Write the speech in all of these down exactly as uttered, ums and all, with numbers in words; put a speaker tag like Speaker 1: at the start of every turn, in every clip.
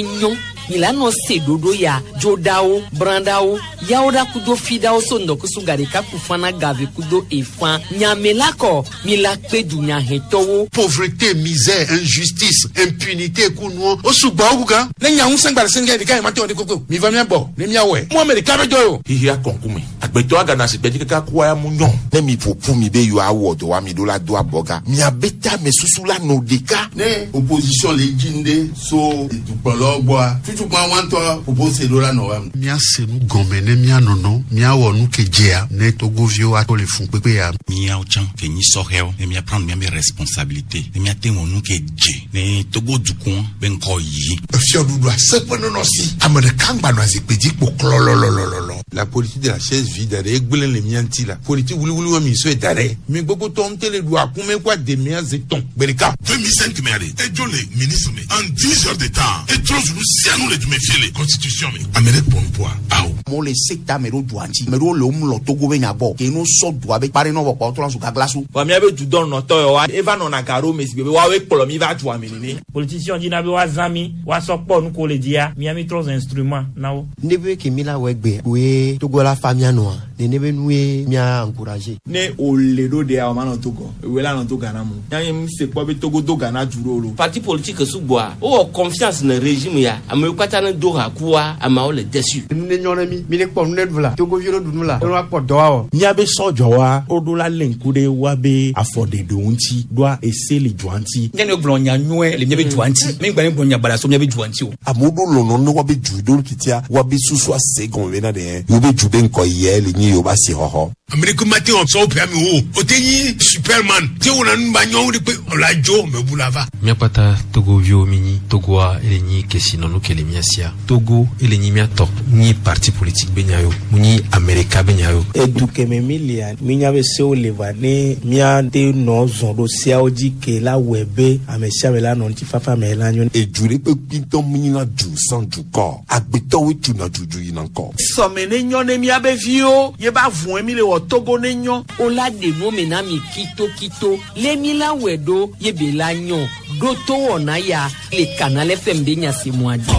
Speaker 1: ne nyɔ mi la nɔ se ɖoɖo ya dzoɖawo brãɖawo yawo ɖa kudo fiɖawo so ŋdɔkusu gaɖeka kufana gave kudo efã nyame la kɔ mi la kpe dunyahetɔwo.
Speaker 2: Pauvreté, misère, injustice, impunité kunuɔ o sugbɔ wu gan.
Speaker 3: Ne nya ŋusẽ gba le sɛngɛ ɖeka yi ma te wɔ de koko mi va mia gbɔ ne mia wɔe mu ame ɖeka bɛ jɔ o.
Speaker 4: Xixia kɔnkume agbetɔ agana si gbɛdzi kaka kua ya mu nyɔ.
Speaker 5: Ne mi ƒo ƒu mi be yewoawɔ dɔ wa mi ɖo la do abɔga miabe tame susu la nɔ ɖeka.
Speaker 6: Ne opposition le dzi ŋɖe so dukplɔlawo gbɔa tutukpa wa ŋutɔ ƒoƒo se ɖo la nɔ wa me.
Speaker 2: Míase nu gɔme ne míanɔnɔ míawɔ nu ke dzea ne togoviwo ato le fun kpekpe ya.
Speaker 7: Míawo tsã ke nyi sɔhɛwo ne míaprendre míabe responsabilité ne míate wɔ nu ke dze ne Togo dukɔ be ŋkɔ yi.
Speaker 3: Efiɔɖuɖu aseƒe nɔnɔ si ame ɖeka ŋgba nɔ zikpui dzi kpo klɔlɔlɔlɔlɔ.
Speaker 6: La politique de la chaise vide ɖe egblẽ le mía ŋuti la politique wuliwuli wa mi sɔe da ɖe mi gbogbo tɔ ŋutɛ le ɖu akume kó ademia zi tɔn gbe ɖeka.
Speaker 8: deux mille cinq me ale edzo le ministre me en dix heures de temps etrɔ zu nu sia nu le dume fie le constitution me ame ɖe kpɔ nupoa awo.
Speaker 9: Amewo le se ta ame ɖewo dua ŋuti ame ɖewo le wo mlɔ Togo be nya gbɔ ke no sɔ dua be kpa ɖe nɔ vɔ kpɔ trɔ zu gaglasu.
Speaker 10: Vɔ míabe dudɔnɔtɔ yawoa eva nɔna ga ɖo me si be woawoe kplɔ mi va dua me nene.
Speaker 11: Politicien dina be woazã mi woasɔ kpɔ nu ko le dzia mía mi trɔ zu instrument na wo.
Speaker 12: Ne be ke mi la wɔ egbe koe Togo la fa mía nɔa nene be nue mía encourager.
Speaker 10: Ne o le ɖo ɖea o ma nɔ Togo ewe la nɔ to Ghana mu yanyi mi se kpɔ be Togo do Ghana du ɖo lo.
Speaker 13: Parti politique sugbɔa wowɔ confiance ne régime ya amewo katã ne do ha kua ameawo le déçu.
Speaker 12: Nu ne nyɔ ne mi mi ne kpɔ nu ne ɖu la togoviwo ɖu nu la ne woakpɔ dɔ awɔ.
Speaker 14: Míabe sɔdzɔwa woɖo la lé ŋku ɖe woabe afɔɖeɖewo ŋuti ɖoa ese le dua ŋuti.
Speaker 15: Nye ne gblɔ nya nyuie le míabe dua ŋuti mi gba ne gblɔ nya baɖa so míabe dua ŋuti o.
Speaker 5: Amewo ɖo lɔlɔ ne woabe du ɖo titia woabe susu ase gɔme bena ɖe yewo be du be ŋkɔ yɛ le nyi yewo ba si xɔxɔ.
Speaker 3: Amerika ma te wɔ sɔwɔ ƒe ame wo o te nyi superman te wɔna nu ba nyɔnu de pe ɔla dzo mɛ bu la va.
Speaker 16: Míakpata togoviwo mi nyi Togoa ele nyi kesinɔnu ke le mía sia Togo ele nyi míatɔ nyi parti politique be nya yo mu nyi Amerika be nya yo.
Speaker 17: Edu kɛmɛ mi lia mi nya be sewo le va ne míate nɔ zɔn ɖo seawo dzi ke la wɔe be ame sia ame la nɔ ŋutifafa me la nyo.
Speaker 5: Edu ɖe kpe kpitɔ mi nyina du sans dukɔ agbetɔwoe tuna dudu yina ŋkɔ.
Speaker 10: Sɔme ne nyɔ ne míabe viwo ye ba vɔe mi le wɔ Togo ne nyɔ.
Speaker 1: O la ɖe nu me na mi kitokito le mi la wɔe ɖo ye be la nyɔ ɖo to wɔna ya le Canal F M be nyasemua dzi.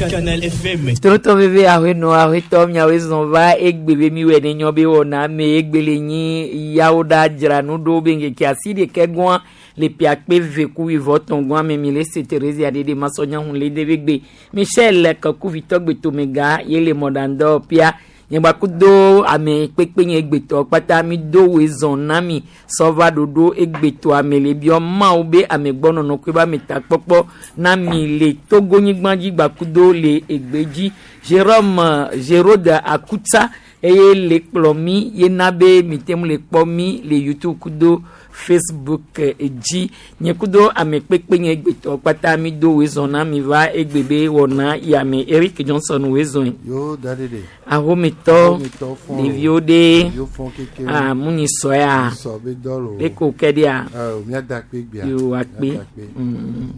Speaker 17: Canal F M.
Speaker 18: Tonton bebe ahenɔ ahetɔ miawoe zɔn va egbe be mi wɔ ne nyɔ be wɔna me egbe le nyi yawo ɖa dzra nu ɖo be ŋkeke asi ɖeke gɔa le piakpe ve ku wivɔ tɔn gɔa me mi le se Terezia ɖeɖe masɔnya hun le de be gbe Michel Kakuvitɔ gbetomega ye le mɔɖaŋdɔ pia nyegbakudo ame kpekpe nye egbetɔ kpata mi do woe zɔn na mi sɔva ɖoɖo egbetɔ ame le biɔ mawo be amegbɔnɔnɔ koe be ametakpɔkpɔ na mi le Togonyigba dzi gbakudo le egbe dzi Jérôme Gérode Akutsa eye le kplɔ mi yena be mi te ŋu le kpɔ mi le YouTube kudo Facebook dzi nye kudo ame kpekpe nye egbetɔ kpata mi do woe zɔn na mi va egbe be wɔna yame Eric Johnson woe zɔn.
Speaker 19: Yo da de de.
Speaker 18: Ahometɔ
Speaker 19: Ahometɔ fɔn.
Speaker 18: Ɖeviwo ɖe
Speaker 19: Ɖeviwo fɔn keke.
Speaker 18: Ah munyi sɔya.
Speaker 19: Sɔ be dɔ lo.
Speaker 18: Eko ke ɖia.
Speaker 19: Ɛ míada kpe gbea.
Speaker 18: Yo akpe.
Speaker 19: Míada kpe.
Speaker 18: Mm.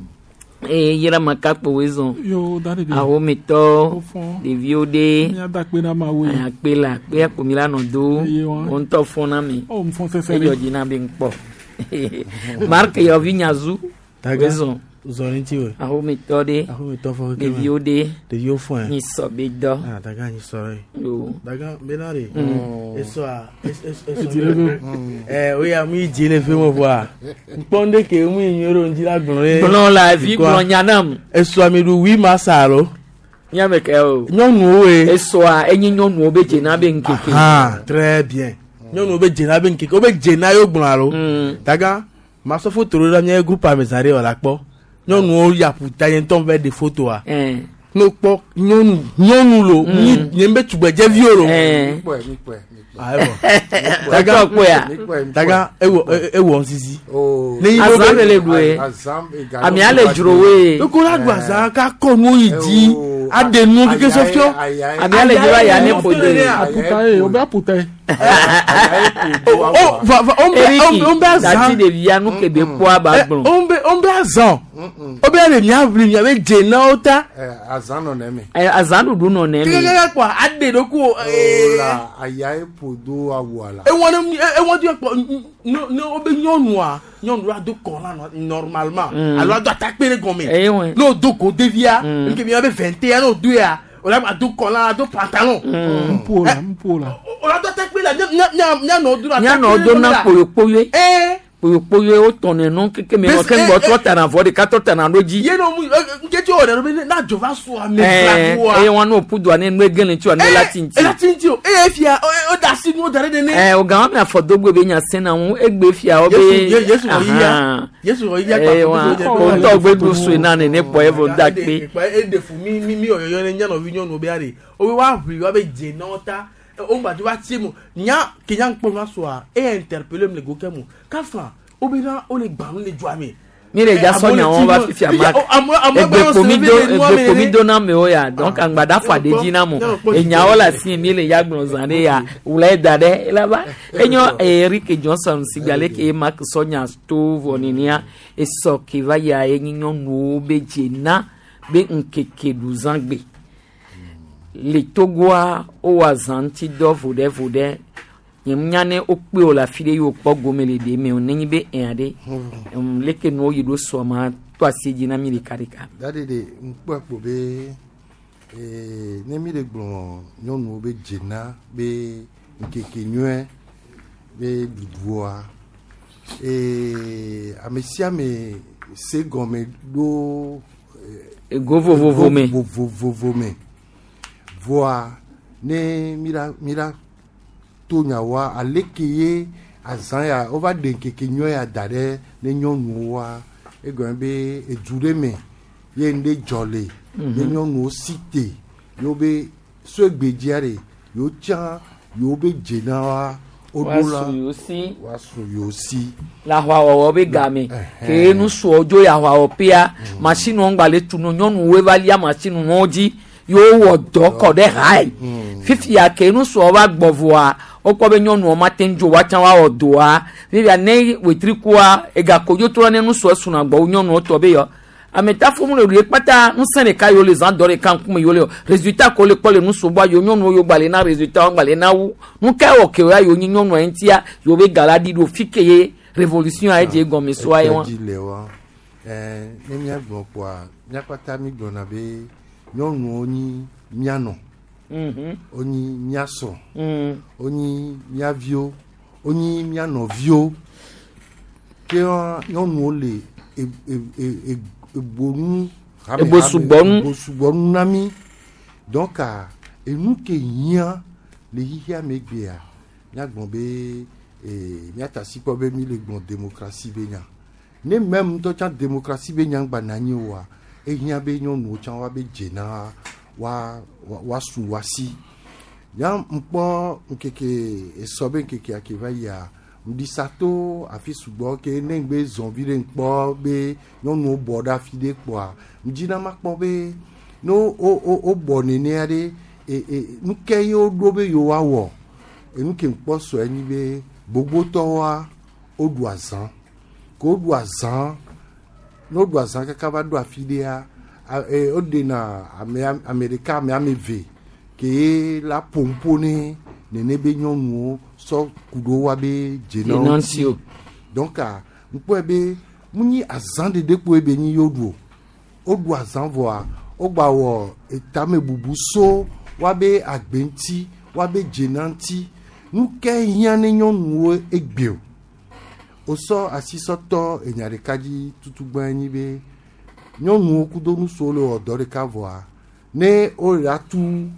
Speaker 18: Eye yira makakpo woe zɔn.
Speaker 20: Yo da de de.
Speaker 18: Ahometɔ
Speaker 20: fɔn.
Speaker 18: Ɖeviwo ɖe.
Speaker 20: Míada kpe na mawo ye.
Speaker 18: Akpe la akpe akpo mi la nɔ do.
Speaker 20: Eye wa.
Speaker 18: Wo ŋutɔ fɔn na mi.
Speaker 20: O fɔn fɛfɛ
Speaker 18: Edzɔ dzi na be ŋkpɔ. Mark yɔvi nyazu.
Speaker 17: Daga.
Speaker 18: Woe zɔn.
Speaker 17: Zɔn ŋuti o.
Speaker 18: Ahometɔ ɖe.
Speaker 17: Ahometɔ fɔn keke.
Speaker 18: Ɖeviwo ɖe.
Speaker 17: Ɖeviwo fɔn.
Speaker 18: Nyi sɔ be dɔ.
Speaker 17: Ah daga nyi sɔ ye.
Speaker 18: Yo.
Speaker 17: Daga bena de.
Speaker 18: Mm.
Speaker 17: Esɔa es es
Speaker 20: Edzi le be.
Speaker 17: Ɛ oya mu yi dzi le fi me voa. Nkpɔn de ke mu yi nyuie ɖo ŋuti la gblɔ ye.
Speaker 18: Gblɔ la vi gblɔ nya nam.
Speaker 17: Esɔa mi ɖu huit mars alo.
Speaker 18: Míame ke o.
Speaker 17: Nyɔnuwo ye.
Speaker 18: Esɔa enye nyɔnuwo be dzena be ŋkeke.
Speaker 17: Ah très bien. Nyɔnuwo be dzena be ŋkeke wo be dzena ye wo gblɔ alo. Daga masɔ foto ɖo ɖe mía groupe ame zã ɖe wɔ la kpɔ. Nyɔnuwo ya ƒuta nye ŋutɔ va ɖe fotoa. Ne wokpɔ nyɔnu nyɔnu lo nyi nye be tugbedzeviwo lo.
Speaker 19: Mikpɔe mikpɔe.
Speaker 17: Ah evɔ.
Speaker 18: Daga kpɔe
Speaker 17: Daga ewɔ ewɔ ŋsisi.
Speaker 19: Oh.
Speaker 17: Ne yi
Speaker 18: Azã le le ɖue. Amea le dzro woe.
Speaker 17: Eko la ɖu azã ka kɔ nuwo yi dzi aɖe nuwo keke sɔfiɔ.
Speaker 18: Amea le dzro aya ne ƒo de.
Speaker 20: Aputa ye o be aputa ye.
Speaker 17: O va va o bɛ
Speaker 18: Eriki
Speaker 17: o bɛ azã.
Speaker 18: dati ɖevia nu ke be kpɔa ba gblɔ.
Speaker 17: O bɛ on be azan o be le mia vli mia be dze na wo ta.
Speaker 19: Azã nɔ nɛ me.
Speaker 18: Azãɖuɖu nɔ nɛ me.
Speaker 17: Kekeke kpɔ aɖe ɖo ku.
Speaker 19: Ola aya eƒo do awua la.
Speaker 17: Ewɔ ne ewɔ di kpɔ ne ne wo be nyɔnua nyɔnu la do kɔ la normalement alo ado atakpe ɖe gɔme. N'o do go devia nke mi be vingt et un n'o do ya o la do kɔ la do pantalon.
Speaker 20: Npo la npo la.
Speaker 17: O la do atakpe la mianɔ do
Speaker 18: Mianɔ do na kpoyokpoyoe. Kpoyokpoyoe wotɔ nenu keke me ke ŋgbɔ trɔ tana vɔ ɖeka trɔ tana ɖo dzi.
Speaker 17: Ye no mu nketi o yɛrɛ bɛ n'a jɔ va so ame
Speaker 18: fila
Speaker 17: wa.
Speaker 18: Eye wɔn n'o pu do ne nu egele ŋuti wa ne la ti ŋuti.
Speaker 17: Ela ti ŋuti o eye fia o da si nu da ɖe nene.
Speaker 18: Ɛ o gan mi afɔ dogbe be nya sena ŋu egbe fia wo be.
Speaker 17: Yesu wɔ yiya Yesu wɔ yiya
Speaker 18: kpa o ŋutɔ gbe ɖu sue na nene kpɔ evɔ da kpe.
Speaker 17: E de fu mi mi mi yɔyɔ ne nyanɔvi nyɔnuwo be ari o be wa ʋli wa be dze na wo ta o gba wa tie mu nya ke nya ŋkpɔ ma soa e interpellé mu le go kɛ mu kafa o be na o le gbanu le dzoa me.
Speaker 18: Mi le dza sɔ nyawo va fifia ma egbekpo mi do egbekpo mi do na amewo ya donc aŋgbada fɔ aɖe dzi na mo enyawo le asi mi le ya gblɔ zã ɖe ya wula da ɖe elaba enyo Eric Johnson sigbe ale ke Mark sɔ nya to vɔ nenia esɔ ke va ya enyi nyɔnuwo be dzena be ŋkeke ɖuzãgbe le Togoa wowɔ azã ŋuti dɔ vo ɖe vo ɖe nye nya ne wokpe wo le afi ɖe ye wokpɔ gome le ɖe me o nenye be ea ɖe leke nuwo yi ɖo sɔ ma to asi dzi na mi ɖeka ɖeka.
Speaker 19: Dadi de ŋkpɔ kpo be ee ne mi le gblɔ nyɔnuwo be dzena be ŋkeke nyuie be ɖuɖua ee ame sia ame se gɔme ɖo.
Speaker 18: Ego vovovo me.
Speaker 19: Vovovo me voa ne mi la mi la to nyawoa aleke ye azã ya wova ɖe ŋkeke nyuie ya da ɖe ne nyɔnuwoa egɔme be edu ɖe me ye ŋɖe dzɔ le ye nyɔnuwo si te yewo be so egbedzia ɖe yewo tsã yewo be dzena wa woɖo la woasu yewo si.
Speaker 18: Le aʋawɔwɔ be game ke nusuɔ dzo yi aʋawɔƒea masinuwo ŋgba le tunu nyɔnuwoe va lia masinuwo dzi yewo wɔ dɔ kɔ ɖe hae fifia ke nusuɔ va gbɔ vɔa wokpɔ be nyɔnuwo ma te ŋu dzo woatsã woawɔ dɔa fifia ne wetrikua egakodzo trɔ ne nusuɔ suna gbɔ wu nyɔnuwo tɔ be yɔ ametafo mu le ɖu ye kpata ŋusẽ ɖeka yiwo le zã dɔ ɖeka ŋkume yiwo le o résultat ko le kpɔ le nusuɔ gbɔ yiwo nyɔnuwo yiwo gba le na résultat wo gba le na wu nu ka wɔ ke ya yiwo nyi nyɔnua ŋutia yiwo be ga la ɖi ɖo fi ke ye révolution a edze gɔme soa ye wa.
Speaker 19: Dzi le wa ɛɛ ne míagblɔ kpoa míakpata mi gblɔna be nyɔnuwo nyi míanɔ wonyi míasrɔ̃ wonyi míaviwo wonyi míanɔviwo ke nyɔnuwo le ebonu
Speaker 18: ebosugbɔnu
Speaker 19: ebosugbɔnu na mi donc enu ke hiã le xixia me gbea míagblɔ be míata si kpɔ be mi le gblɔ démocratie be nya ne même ŋutɔ tsã démocratie be nya ŋgba na anyi oa ehiã be nyɔnuwo tsã woabe dzena wa woasu woasi nya ŋkpɔ ŋkeke esɔ be ŋkekea ke va yia ŋɖisa to afi sugbɔ ke ne ŋgbe zɔn vi ɖe ŋkpɔ be nyɔnuwo bɔ ɖe afi ɖe kpɔa ŋdzina ma kpɔ be ne wo wo wo bɔ nenea ɖe e e nu ke ye woɖo be yewoawɔ enu ke ŋkpɔ sɔe nyi be gbogbotɔwoa woɖu azã ke woɖu azã ne woɖu azã kaka va ɖo afi ɖea woɖena ame ame ɖeka ame ame eve ke ye la ƒoƒo ne nene be nyɔnuwo sɔ ku ɖo woabe dzenawo ŋuti donc ŋkpɔe be mu nyi azã ɖeɖe kpoe be nyi yewo ɖu o woɖu azã vɔa wogba wɔ etame bubu so woabe agbe ŋuti woabe dzena ŋuti nu ke hiã ne nyɔnuwo egbe o wosɔ asisɔtɔ enya ɖeka dzi tutugbã nyi be nyɔnuwo kudo nusuwo le wɔ dɔ ɖeka vɔa ne wole atu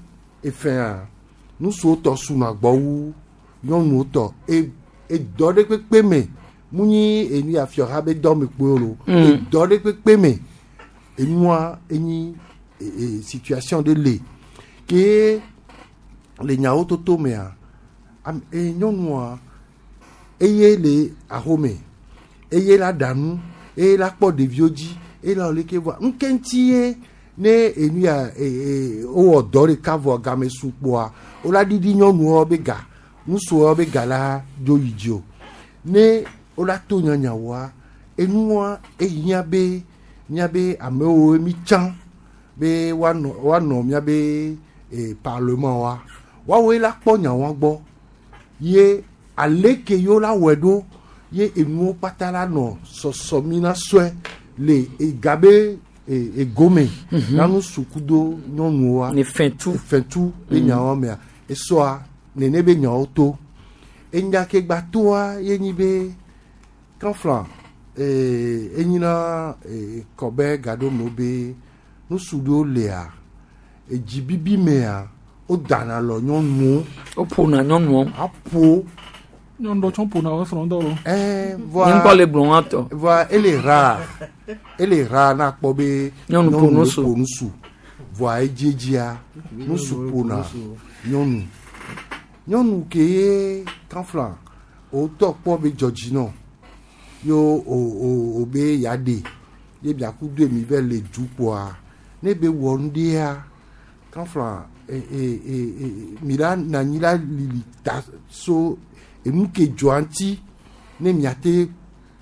Speaker 19: efɛa nusuwo tɔ suna gbɔ wu nyɔnuwo tɔ e edɔ ɖe kpekpe me mu nyi enu afiɔha be dɔ me kpoe lo edɔ ɖe kpekpe me enua enyi e e situation ɖe le ke le nyawo toto mea am e nyɔnua eye le axome eye la ɖa nu eye la kpɔ ɖeviwo dzi eye la wɔ leke vɔa ŋke ŋuti ye ne enu ya e e wowɔ dɔ ɖeka vɔ game su kpoa wola ɖiɖi nyɔnuwo be ga ŋutsuwo be ga la dzo yi dzi o ne wola to nyanyawoa Enua ehiã be míabe amewo mi tsã be woanɔ woanɔ míabe eh, parlement wa woawoe la kpɔ nyawoa gbɔ ye aleke yewo la wɔe ɖo ye enuwo kpata la nɔ sɔsɔ mi na sɔe le ega be e- egome
Speaker 18: Mhm.
Speaker 19: nanu suku do nyɔnuwoa
Speaker 18: Ne fɛntu
Speaker 19: fɛntu be
Speaker 18: Mhm.
Speaker 19: nyawo mea esɔa nene be nyawo to enya ke gba toa ye nyi be kanfla ee enyina ee kɔbɛ gaɖo be nusu ɖewo lea edzibibi mea wodana lɔ nyɔnuwo.
Speaker 18: woƒona nyɔnuwo.
Speaker 19: aƒo.
Speaker 20: Nyɔnu ɖewo tsɛ ƒona wo srɔ̃ ŋutɔ lo.
Speaker 19: Ɛɛ voa
Speaker 18: Nye ŋkɔ le gblɔ wa tɔ.
Speaker 19: voa ele rare ele rare na kpɔ be
Speaker 18: Nyɔnu ƒo nusu.
Speaker 19: ƒo nusu voa edziedzia nusu ƒona nyɔnu nyɔnu ke ye kanfla wòtɔ kpɔ be dzɔdzinɔ yo o o o be ya ɖe ye biaku do emi vɛ le du kpoa ne be wɔ nu ɖea kanfla e e e e mi la na anyi la lili ta so enu ke dzɔa ŋuti ne miate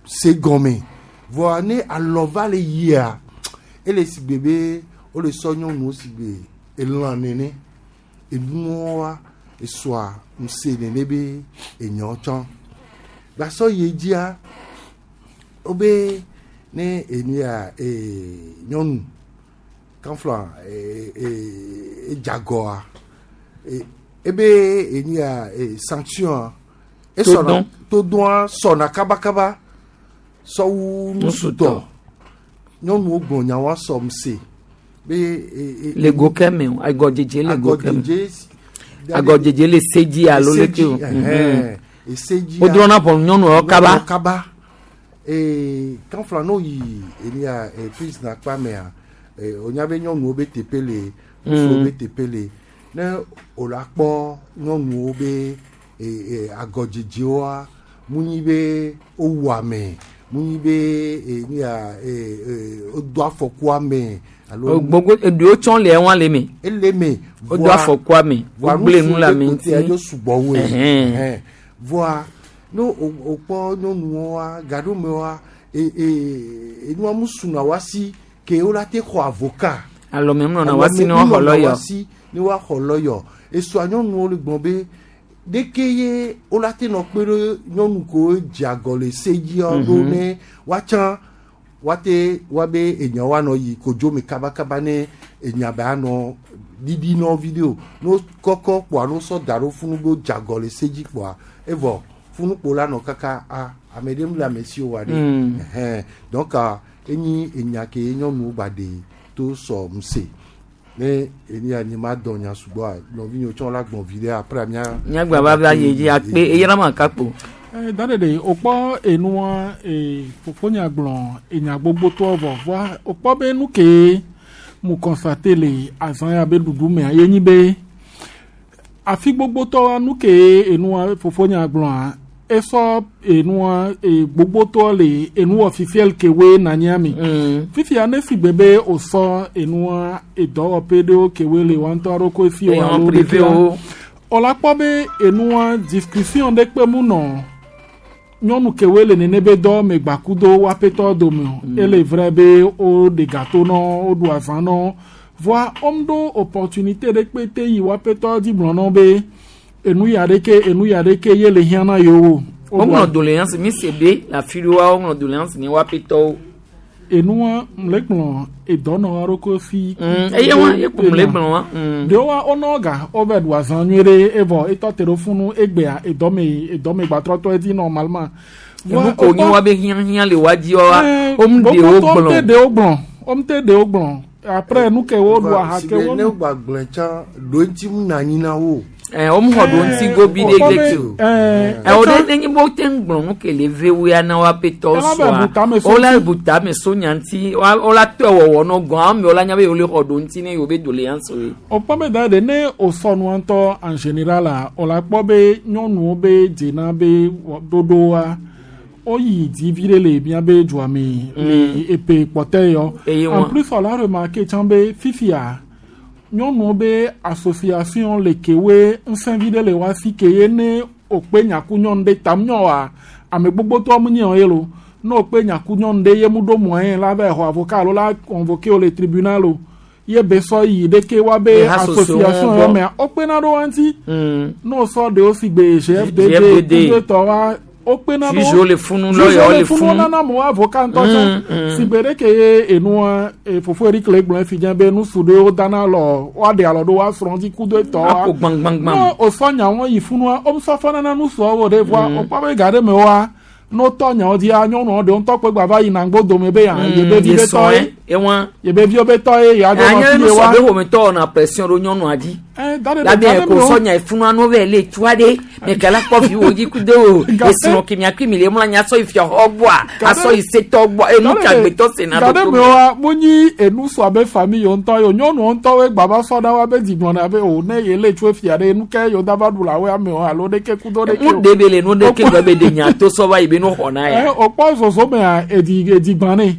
Speaker 19: se gɔme voa ne alɔ va le yia ele si gbe be wole sɔ nyɔnuwo si gbe elã nene enuwoa esɔa ŋusẽ nene be enyawo tsã gbasɔ yi dzia wobe ne enu ya ee nyɔnu kanfla ee ee edzagɔa e ebe enu ya ee sanction esɔna todɔa sɔna kabakaba sɔwu nusutɔ nyɔnuwo gblɔ nyawoa sɔ ŋusẽ be e e
Speaker 18: Le go ke me o agɔdzedze le go ke me.
Speaker 19: Agɔdzedze-
Speaker 18: Agɔdzedze le se dzi alo
Speaker 19: Ese
Speaker 18: leke
Speaker 19: dzi,
Speaker 18: o.
Speaker 19: ɛhɛn. Ese dzi
Speaker 18: Wodrɔ̃na ʋɔnu nyɔnuwo kaba.
Speaker 19: Nyɔnuwo kaba ee kanfla n'o yi eni ya ee prison akpa mea ee wonya be nyɔnuwo be teƒe le ŋutsuwo
Speaker 18: Mm.
Speaker 19: be teƒe le ne wòle akpɔ nyɔnuwo be ee ee agɔdzedzewoa mu nyi be wowu ame mu nyi be eni ya ee ee wodo afɔku ame alo
Speaker 18: Gbogbo eɖewo tsɔ le ɛwɔn le me.
Speaker 19: ele me
Speaker 18: Wodo afɔku ame.
Speaker 19: voa
Speaker 18: Wogblẽ nu le ame
Speaker 19: ŋuti
Speaker 18: ŋuti.
Speaker 19: edzo sugbɔ woe
Speaker 18: Ɛhɛn.
Speaker 19: Ɛhɛn. voa ne o o kpɔ nyɔnuwoa gaɖomewoa e e enua mu suna wa si ke wo la te xɔ avocat
Speaker 18: Alɔme munɔna wa si ne woaxɔ
Speaker 19: Alɔme munɔna
Speaker 18: lɔyɔ.
Speaker 19: wa si ne woaxɔ lɔyɔ esua nyɔnuwo le gblɔ be ɖeke ye wo la te nɔ kpe ɖe nyɔnu kewo dze agɔ le se dzia ɖo
Speaker 18: Mhm.
Speaker 19: ne woatsã woate woabe enya woanɔ yi kodzo me kabakaba ne enya be anɔ ɖiɖi nɔ video no kɔkɔ kpoa no sɔ da ɖo funu be wodze agɔ le se dzi kpoa evɔ funukpo la nɔ kaka a ame ɖe mu le ame si o wa ɖe
Speaker 18: Mm.
Speaker 19: Ɛhɛn. donc ah, enyi enya ke nyɔnuwo gba ɖe to sɔ ŋusẽ ne eni ya nye ma dɔ nya sugbɔa nɔvinyewo tsɔ la gbɔn vi ɖe après mía.
Speaker 18: Nyagba va va yi dzi akpe eyra ma kakpo.
Speaker 20: Eh, da ɖeɖe wòkpɔ enua ee fofonya gblɔ enya gbogbotɔ vɔ voa wòkpɔ be nu ke mu constate le azã ya be ɖuɖu mea ye nyi be afi gbogbotɔ nu ke enua fofonya gblɔa esɔ enua e gbogbotɔ le enuwɔ fifiel ke woe na nyia mi fifia ne si gbe be wòsɔ enua edɔwɔƒe ɖewo ke woe le wa ŋutɔ ɖokui si o
Speaker 18: Eyan
Speaker 20: alo
Speaker 18: privé
Speaker 20: ɖekea
Speaker 18: wo.
Speaker 20: wòla kpɔ be enua discussion ɖe kpe mu nɔ nyɔnu kewoe le nene be dɔ me gbakudo woaƒetɔ dome o
Speaker 18: Mm.
Speaker 20: ele vrai be woɖe gato nɔ woɖu azã nɔ voa wom ɖo opportunité ɖe kpe te yi woaƒetɔ dzi gblɔ nɔ be enu ya ɖeke enu ya ɖeke ye le hiã na yewo Woɖu
Speaker 18: Woŋlɔ doléance mi se be le afi ɖewoa woŋlɔ doléance ne woaƒetɔwo.
Speaker 20: enua mle gblɔ edɔnɔ ɖokui si.
Speaker 18: Mm, eye wa ye ko mle gblɔ wa. Mm.
Speaker 20: ɖewoa wonɔ ga wova ɖu azã nyuie ɖe evɔ etɔ te ɖo funu egbea edɔme edɔme gbatrɔtɔ edzi normalement.
Speaker 18: Enu ko nyi wa be hiãhiã le wa dzi wa wom ɖewo
Speaker 20: Wom te
Speaker 18: gblɔ.
Speaker 20: ɖewo gblɔ wom te ɖewo gblɔ après nu ke wo ɖu aha
Speaker 19: Si
Speaker 20: ke
Speaker 19: be
Speaker 20: wo
Speaker 19: ne wogba gblɔe tsã ɖo ŋuti mu na anyi na wo.
Speaker 18: Ɛ wom xɔ ɖo ŋuti gobi ɖe
Speaker 20: Wokpɔ be,
Speaker 18: ɖe o.
Speaker 20: eh,
Speaker 18: Ɛ wo ɖe nenye be wote ŋu gblɔ nu ke le vewoa na woaƒetɔ
Speaker 20: Ela be
Speaker 18: sɔa
Speaker 20: bu tame so
Speaker 18: wola
Speaker 20: ŋuti.
Speaker 18: bu tame so nya ŋuti wa- wola tɔe wɔwɔ nɔ gɔn amewo la nya be yewo le xɔ ɖo ŋuti ne yewo be doléance ye.
Speaker 20: wokpɔ be da ɖe ne wòsɔ nua ŋutɔ en général a wòla kpɔ be nyɔnuwo be dzena be wɔ- ɖoɖoa woyi dzi vi ɖe le míabe dua me le epe kpɔtɛ yɔ
Speaker 18: Eye
Speaker 20: en
Speaker 18: wa-
Speaker 20: plus wòla remarqué tsã be fifia nyɔnuwo be association le kewoe ŋusẽ vi ɖe le wa si ke ye ne wòkpe nyaku nyɔnu ɖe tam nyɔ wa ame gbogbotɔ mu nye ye lo N'o kpe nyaku nyɔnu ɖe ye mu ɖo moyen la va xɔ avocat alo la convoqué wo le tribunal o ye be sɔ yi ɖeke wa be
Speaker 18: Le ha
Speaker 20: association
Speaker 18: sociaux
Speaker 20: yɔ
Speaker 18: gbɔ.
Speaker 20: mea wo kpena ɖo wa ŋuti
Speaker 18: Mm.
Speaker 20: n'o sɔ ɖewo si gbe G F D D
Speaker 18: G F D D.
Speaker 20: kudo tɔ wa wo kpena ɖo
Speaker 18: Juge le funu,
Speaker 20: Juge
Speaker 18: lawyer
Speaker 20: le
Speaker 18: le
Speaker 20: funu
Speaker 18: funu.
Speaker 20: nana mo avocat ŋutɔ tsã
Speaker 18: Mm, mm.
Speaker 20: si gbe ɖe ke ye enua e, fofo Eric le gblɔ fi dze be nusu ɖewo dana lɔ woaɖe alɔ ɖo woasrɔ̃ dzi kudo etɔ wa
Speaker 18: Aƒo gbãgbãgbã.
Speaker 20: ne wòsɔ nyawo yi funua womsɔ fɔna na nusuawo ɖe voa
Speaker 18: Mm.
Speaker 20: wokpɔ be ga ɖe me woa ne wotɔ nyawo dzia nyɔnuawo ɖewo ŋutɔ kpe gba va yina ŋgbo dome be ya yebe vi
Speaker 18: ye
Speaker 20: be tɔ
Speaker 18: sɔe
Speaker 20: ye
Speaker 18: ewa
Speaker 20: yebe viwo be tɔ ye yeadzo nɔ
Speaker 18: anya
Speaker 20: fi
Speaker 18: nu
Speaker 20: ye
Speaker 18: sɔ
Speaker 20: wa
Speaker 18: be ƒometɔ wɔna pression ɖo nyɔnua dzi
Speaker 20: Eh, da ɖe
Speaker 18: la
Speaker 20: ga
Speaker 18: be
Speaker 20: ɖe
Speaker 18: ko
Speaker 20: me wo.
Speaker 18: sɔnya efunua no vɛ le tua ɖe mekala kpɔ viwo dzi kudo o esrɔ̃ ke miakui mi le mlɔ anyi asɔ yi fiaxɔ gbɔa asɔ yi setɔ gbɔa enu
Speaker 20: Ga
Speaker 18: ka
Speaker 20: ɖe-
Speaker 18: agbetɔ sena
Speaker 20: ga
Speaker 18: ɖo
Speaker 20: ɖe
Speaker 18: to
Speaker 20: me woa munyi enu sɔ abe famille yewo ŋutɔ ye o nyɔnuwo ŋutɔwoe gba va sɔ ɖa wa be dzigblɔna be o ne ye le tso fia ɖe nu ke yewo da va ɖu le awoe amewo alo ɖeke kudo ɖeke
Speaker 18: mu
Speaker 20: o.
Speaker 18: de be le nu ɖe ke gbe be de nya to sɔ va yi be nu xɔ na
Speaker 20: Eh,
Speaker 18: ya
Speaker 20: wòkpɔ zozo mea edi edi gbã nɛ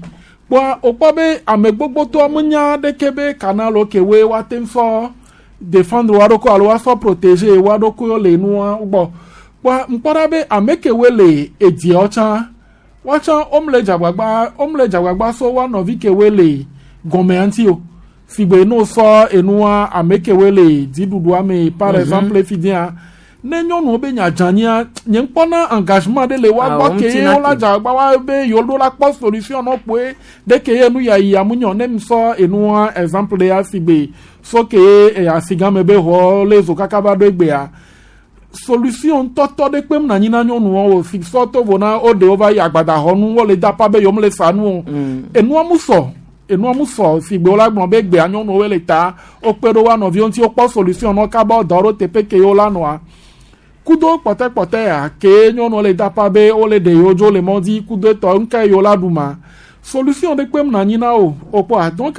Speaker 20: kpɔa wòkpɔ be ame gbogbotɔ menya ɖeke be canal ke woe woate ŋu sɔ défendre wa ɖokui alo woasɔ protéger wa ɖokuiwo le nua gbɔ kpɔa ŋkpɔ ɖa be ame kewoe le ediawo tsã woatsã womle dzagbagba womle dzagbagba sɔ woa nɔvi kewoe le gɔmea ŋuti o sigbe ne wosɔ enua ame kewoe le dziɖuɖua me par
Speaker 18: Mhm.
Speaker 20: exemple fi dia ne nyɔnuwo be nya dzanyia nye ŋkpɔna engagement ɖe le woa
Speaker 18: Ah,
Speaker 20: gbɔ
Speaker 18: wo
Speaker 20: ke
Speaker 18: ŋuti
Speaker 20: ye
Speaker 18: na
Speaker 20: wola
Speaker 18: te.
Speaker 20: dzagbagba wa be yewo ɖo la kpɔ solution nɔ kpoe ɖe ke ye nu ya yi amunyɔ ne ŋsɔ enua exemple ɖe ya sigbe so ke ye asigãme be xɔ le zo kaka va ɖo egbea solution ŋutɔtɔ ɖe kpem na anyi na nyɔnuwo o si sɔ to vo na wo ɖewo va yi agbadaxɔnu wole dapa be yewo le sa nu o enua mu sɔ enua mu sɔ si gbe wola gblɔ be gbea nyɔnuwo le ta wokpe ɖo woa nɔviwo ŋuti wokpɔ solution nɔ kaba dɔ ɖo teƒe ke yewo la nɔa kudo kpɔtɛkpɔtɛ ya ke nyɔnuwo le dapa be wole ɖe yewo dzo le mɔ dzi kudo etɔ ŋke yewo la ɖu ma solution ɖe kpem na anyi na o wokpɔa donc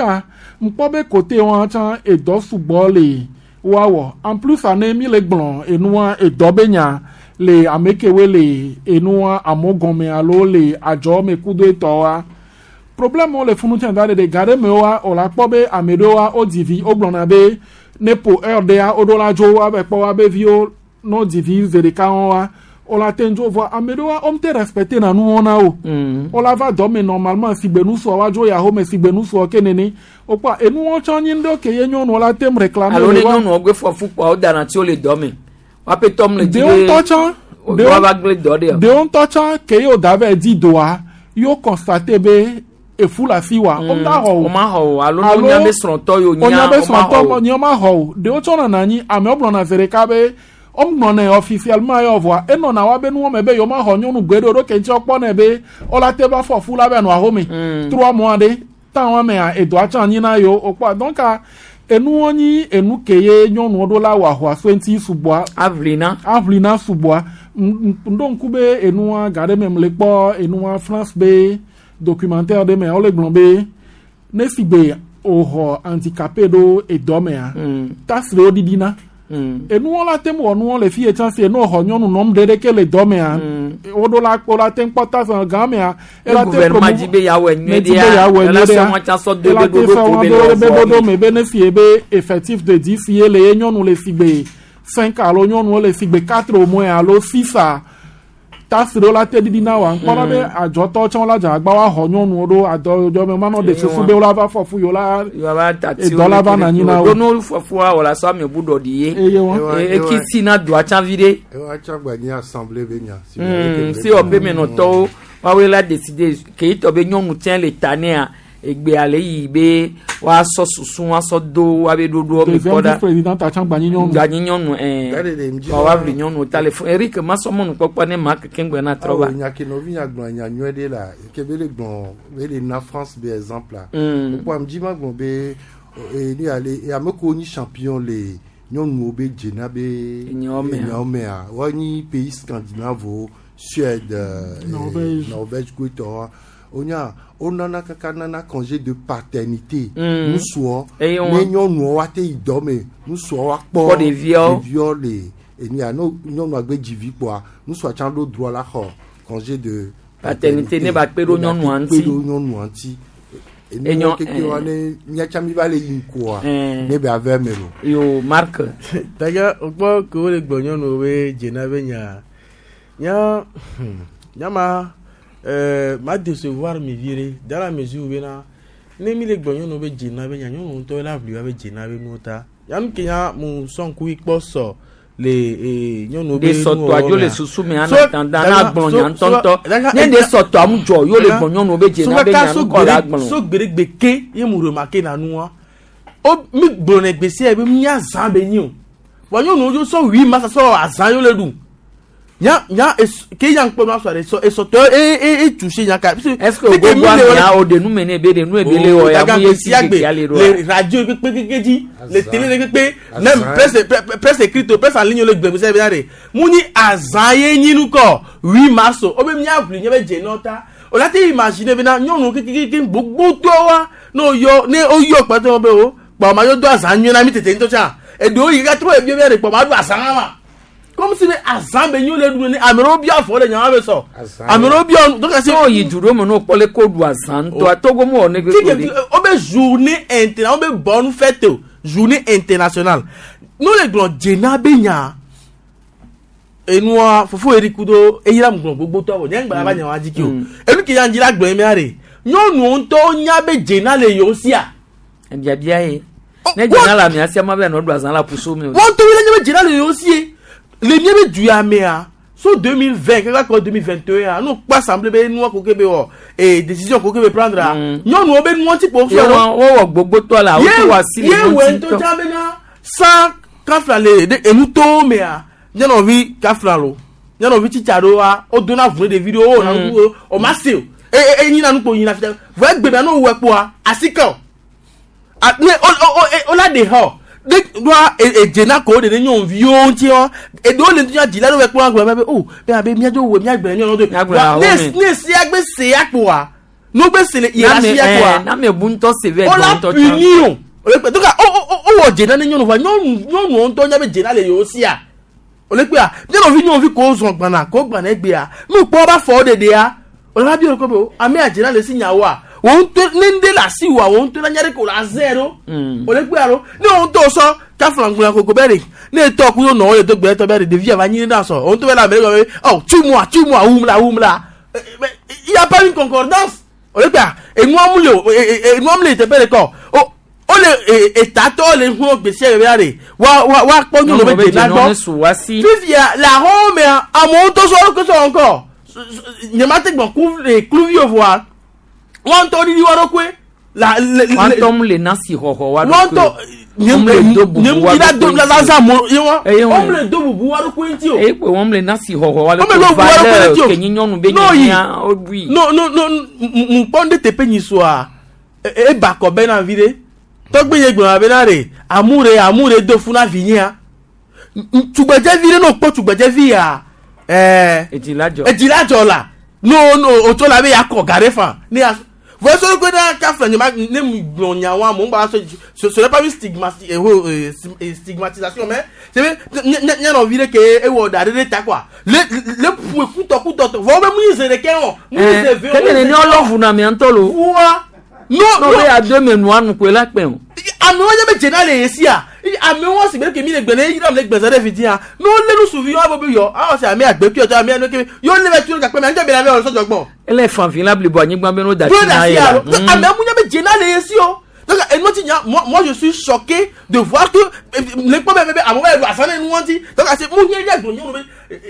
Speaker 20: ŋkpɔ be kote wa tsã edɔ sugbɔ le woawɔ en plus ane mi le gblɔ enua edɔ be nya le ame kewoe le enua amewo gɔme alo le adzɔ me kudo etɔwoa problème wo le funu tsã da ɖe ga ɖe me woa wòla kpɔ be ame ɖewoa wodzi vi wogblɔna be ne po heure ɖea woɖo la dzo woave kpɔ woabe viwo ne wodzi vi ze ɖeka wɔa wola te ŋdzo vɔa ame ɖewoa womete respecte na nuwo na o wola va dɔ me normalement si gbe nusua woadzo ya home si gbe nusua ke nene wokpɔa enuwo tsã nyi ŋɖewo ke ye nyɔnuwo la tem réclamer
Speaker 18: alo ne
Speaker 20: le wa-
Speaker 18: nyɔnuwo gbe fɔ fukpɔa wo dana tsi wo le dɔ me woaƒe tɔm le dzi
Speaker 20: ɖewo ŋutɔ tsã
Speaker 18: ɖewo va gblẽ dɔ ɖe
Speaker 20: ɖewo ŋutɔ tsã ke ye woda vɛ di doa yewo constate be efu le afi wa
Speaker 18: Mm,
Speaker 20: womda xɔ o
Speaker 18: woma xɔ o, alo ne wonya be srɔ̃tɔ ye wonya,
Speaker 20: wonya be
Speaker 18: woma
Speaker 20: srɔ̃tɔ
Speaker 18: xɔ o.
Speaker 20: nye woma xɔ o ɖewo tsɔ nɔna anyi amewo gblɔna zi ɖeka be womgblɔnɛ officiellement ye vɔa enɔna wa be nuwo me be yewo ma xɔ nyɔnu gbe ɖe o ɖo ke ŋuti wokpɔnɛ be wola te va fɔ fu la be nɔ ahome trois mois ɖe temps wa mea edɔa tsã anyi na yewo wokpɔa donc enuwo nyi enu ke ye nyɔnuwo ɖo la wɔ ahoa so ŋuti sugbɔa
Speaker 18: aʋlina
Speaker 20: aʋlina sugbɔa Ŋ- ŋ- ŋɖo ŋku be enua ga ɖe me mle kpɔ enua France be documentaire ɖe mea wole gblɔ be ne si gbe wòxɔ handicapé ɖo edɔ mea taxe ɖewo ɖiɖina enuwo la te ŋu wɔ nuwo le fi ye tsã si ene wòxɔ nyɔnu nɔm ɖe ɖeke le dɔ mea woɖo la wo la te ŋu kpɔ taxe gã mea
Speaker 18: Ne gouvernement dzi be yeawɔe nyuie
Speaker 20: Ne di be
Speaker 18: ɖea,
Speaker 20: yeawɔe
Speaker 18: ela
Speaker 20: nyuie
Speaker 18: sɔ
Speaker 20: ɖea,
Speaker 18: wọn tsã sɔ do
Speaker 20: ela
Speaker 18: be
Speaker 20: te
Speaker 18: ɖoɖo
Speaker 20: sɔ
Speaker 18: ko
Speaker 20: wọn
Speaker 18: be
Speaker 20: do
Speaker 18: le
Speaker 20: be
Speaker 18: wɔ
Speaker 20: ɖoɖo me be ne si ye be effectif de dix ye le ye nyɔnu le si gbe cinq alo nyɔnuwo le si gbe quatre au moins alo six a taxe ɖewo la te ɖiɖi na wa ŋkpɔ ɖa be adzɔtɔ tsã la dze agba wa xɔ nyɔnuwo ɖo adɔ me manɔ ɖe susu be wola va fɔ fu yewo la edɔ la va nɔ anyi na wo.
Speaker 18: ɖo no fɔfua wòle asɔ ame bu ɖɔɖi ye
Speaker 20: Eye wa.
Speaker 18: E- eki si na doa tsã vi ɖe
Speaker 19: Ewa tsã gba nye assemblée be nya. Si
Speaker 18: Mm, si wɔƒe menɔtɔwo woawoe la décider ke yi tɔ be nyɔnu tsɛ le ta nea egbea le yi be woasɔ susu woasɔ do woabe ɖoɖoɔ me
Speaker 20: deuxième
Speaker 18: kpɔ ɖa
Speaker 20: vice président tsã gba nyi nyɔnu.
Speaker 18: gba nyi nyɔnu ɛɛ
Speaker 19: Gade ɖe ŋdzi
Speaker 18: wa woaʋli nyɔnu ta le fún Eric masɔmɔnu kpɔkpɔ ne ma keke ŋgbɛ na trɔ va
Speaker 19: Awo nya ke nɔvi nya gblɔ nya nyuie ɖe la ke be le gblɔ be le na France be exemple la.
Speaker 18: Mm.
Speaker 19: Wokpɔ ame dzi ma gblɔ be eh, nu ya le ame kewo nyi champion le nyɔnuwo be dzena be
Speaker 18: Enyawo mea.
Speaker 19: enyawo mea woanyi pays scandinave Suède, euh,
Speaker 20: Norvège.
Speaker 19: Norvège koetɔwoa wonya wonana kaka nana congé de paternité
Speaker 18: Mm.
Speaker 19: nusuɔ
Speaker 18: Eye
Speaker 19: ne
Speaker 18: wɔn.
Speaker 19: nyɔnuwo woate yi dɔ me nusuɔ woakpɔ
Speaker 18: Kpɔ ɖeviawo.
Speaker 19: ɖeviawo le enia no nyɔnua gbe dzi vi kpoa nusua tsã ɖo droit la xɔ congé de
Speaker 18: Paternité ne ba kpe ɖo nyɔnua
Speaker 19: kpe
Speaker 18: ŋuti.
Speaker 19: ɖo nyɔnua ŋuti
Speaker 18: Enyo-
Speaker 19: enuwo keke wa
Speaker 18: eh.
Speaker 19: ne míatsa mi va le yi ŋkua
Speaker 18: Eh.
Speaker 19: ne be ave me lo.
Speaker 18: Yo Marc.
Speaker 17: D'ailleurs, wokpɔ ke wole gblɔ nyɔnuwo be dzena be nya nya hmm, nya ma Euh, ma décevoir mi vieux dans la mesure où bena ne mi le gbɔ nyɔnu be dzena be nya nyɔnu ŋutɔ la ʋli wa be dzena be nuwo ta yanu ke nya mu sɔn ku kpɔ sɔ le ee nyɔnuwo be
Speaker 18: de sɔtɔ adzo le susu me ana dandan na gblɔ nya ŋutɔŋutɔ ne de sɔtɔ amu dzɔ yo le gbɔ nyɔnuwo be dzena be nya nukɔ la gblɔ.
Speaker 17: So gbeɖegbe ke ye mu remarqué na nua o mi gblɔ ne gbèsè ye be mia zã be nyi o wa nyɔnuwo dzo sɔ huit mars sɔ azã yo le ɖu nya nya es ke nya ŋkpɔ nua sɔ ɖe sɔ esɔtɔ e e e touché nya ka.
Speaker 18: Est-ce que o gbogbo amia o de nu me ne be de nu ebe le wɔ ya mu ye si keke ale ɖo.
Speaker 17: Le radio kpekpe keke dzi le télé kpekpe même presse presse écrite presse en ligne le gbɛgbɛ sɛ bena de mu ni azã ye nyi nu kɔ huit mars o be mia ʋli nye be dze nɔ ta o la te imaginer bena nyɔnu kekeke gbogbo tɔ wa ne o yɔ ne o yɔ kpɛtɛ be o kpɔ ma yɔ do azã nyuie na mi tete ŋutɔ tsã eɖewo yi kaka trɔ ebi bia de kpɔ ma do azã ma comme si be azã be nyo le ɖu ne ame ɖewo bia afɔ le nyawo be sɔ ame ɖewo bia donc
Speaker 18: c'est o yi du ɖo me n'o kpɔ le ko ɖu azã ŋutɔ Togo mu wɔ ne
Speaker 17: gbegbe de. O be journée internationale o be bonne fête o journée internationale n'o le gblɔ dzena be nya enua fofo eri kudo eyira mu gblɔ gbogbo tɔ wɔ nye ŋgbala ba nyawo adzi ke o enu ke yan dzi la gblɔ emea de nyɔnuwo ŋutɔ nya be dzena le yewo sia.
Speaker 18: Biabia ye ne dzena le amea sia ma be nɔ ɖu azã la puso mi o.
Speaker 17: Wɔn to le nye be dzena le yewo sie le mía be du ya mea so deux mille vingt kaka kɔ deux mille vingt et un n'o kpɔ assemblée be nua ko ke be wɔ ee décision ko ke be prendre a nyɔnuwo be nua ti kpo
Speaker 18: fɛ o. Wowɔ gbogbo tɔ la o ti wa si le
Speaker 17: ŋuti tɔ. Ye wɔ ŋutɔ tsã bena san kafla le de enu towo mea nyɔnuvi kafla lo nyɔnuvi tsitsa ɖewoa wo dona vu ne ɖevi ɖewo wo na nuku o ma se o e e nyina nukpo nyina fita vɔ egbe bia n'o wɔ kpoa asike o ne o o o la de xɔ de doa edzena ko de ne nyɔnuviwo ŋuti wɔ eɖewo le ŋuti dzila ɖewo kpɔ agblɔ be o be abe miadzo wɔ miagblɔ nyɔnu do ne ne sia gbe se ya kpoa n'o gbe se le yɛrɛ ya kpoa
Speaker 18: n'ame bu ŋutɔ se vɛ
Speaker 17: o la puni o o le kpe donc o o o wɔ dzena ne nyɔnu vɔ nyɔnu nyɔnuwo ŋutɔ nya be dzena le yewo sia o le kpea nyɔnuvi nyɔnuvi ko zɔn gbana ko gbana egbea nu kpɔ ba fɔ ɖeɖea o le va bi o ko be o ame adzena le si nyawoa wo ŋutɔ ne ŋɖe le asi wa wo ŋutɔ la nya ɖe ko la zɛ ɖo o le kpea ɖo ne wo ŋutɔ sɔ kafla koko bɛ de ne tɔ kudo nɔ wo le do gbe tɔ bɛ de ɖevi ava nyi ɖe sɔ wo ŋutɔ bɛ le ame ɖe gɔme ɔ tu mua tu mua wum la wum la il y a pas une concordance o le kpea enua mu le o enua mu le teƒe ɖe kɔ o o le etatɔ le hu gbèsè bɛ de wa wa wa kpɔ nyɔnu bɛ dzena gbɔ fifia le ahɔn mea amewo ŋutɔ sɔ ɖo sɔ ŋkɔ nyema te gbɔn ku kluvi o voa wọn tɔ didi wa ɖokoe la le
Speaker 18: le wọn tɔ mu le nasi xɔxɔ wa
Speaker 17: ɖokoe wọn tɔ nye nye la do la zan mo ye wa wọn le do bubu wa ɖokoe ŋuti o
Speaker 18: eye kpe wọn le nasi xɔxɔ wa ɖokoe valeur ke nyi nyɔnu be nyanya o bui.
Speaker 17: no no no mu kpɔ ne teƒe nyi soa eba kɔ bɛ na vi ɖe tɔgbe ye gblɔna bena ɖe amure amure do fún na vi nyia tugbedzevi ɖe n'o kpɔ tugbedzevi ya ɛɛ
Speaker 18: edziladzɔ
Speaker 17: edziladzɔ la no no o tso la be yakɔ ga ɖe fan ne ya voyez ce que dans kafla ne ma ne gblɔ nyawa mo gba so ce ce n'est pas une stigmatisation mais c'est nye nɔvi ɖe ke ewɔ da ɖe ɖe ta quoi le le ƒo kutɔ kutɔ tɔ vɔ be mu yi ze ɖeke o mu yi ze ve o.
Speaker 18: kele ne ɔlɔvu na mia ŋutɔ lo.
Speaker 17: wa no
Speaker 18: no be ado me nua nu koe la kpɛ o.
Speaker 17: amewo nye be dzena le yesia amewo si be ke mi le gbe ne yira le gbɛzɛ ɖe fitia ne wolé nusuvi wa bo be yɔ awɔ se ame agbekui ɔtɔ ame anu ke yɔ lé bɛ tu ɖe gakpe mɛ anjɛ be la bɛ wɔ sɔdzɔ gbɔ.
Speaker 18: ele fanfin la blibo anyigba be n'o da ti na ye la.
Speaker 17: amewo nye be dzena le yesi o donc enu ti nya moi moi je suis choqué de voir que le kpɔ bɛ bɛ amewo bɛ asan ne nu wɔn ti donc ase mu nye nye gbɔnyɔ be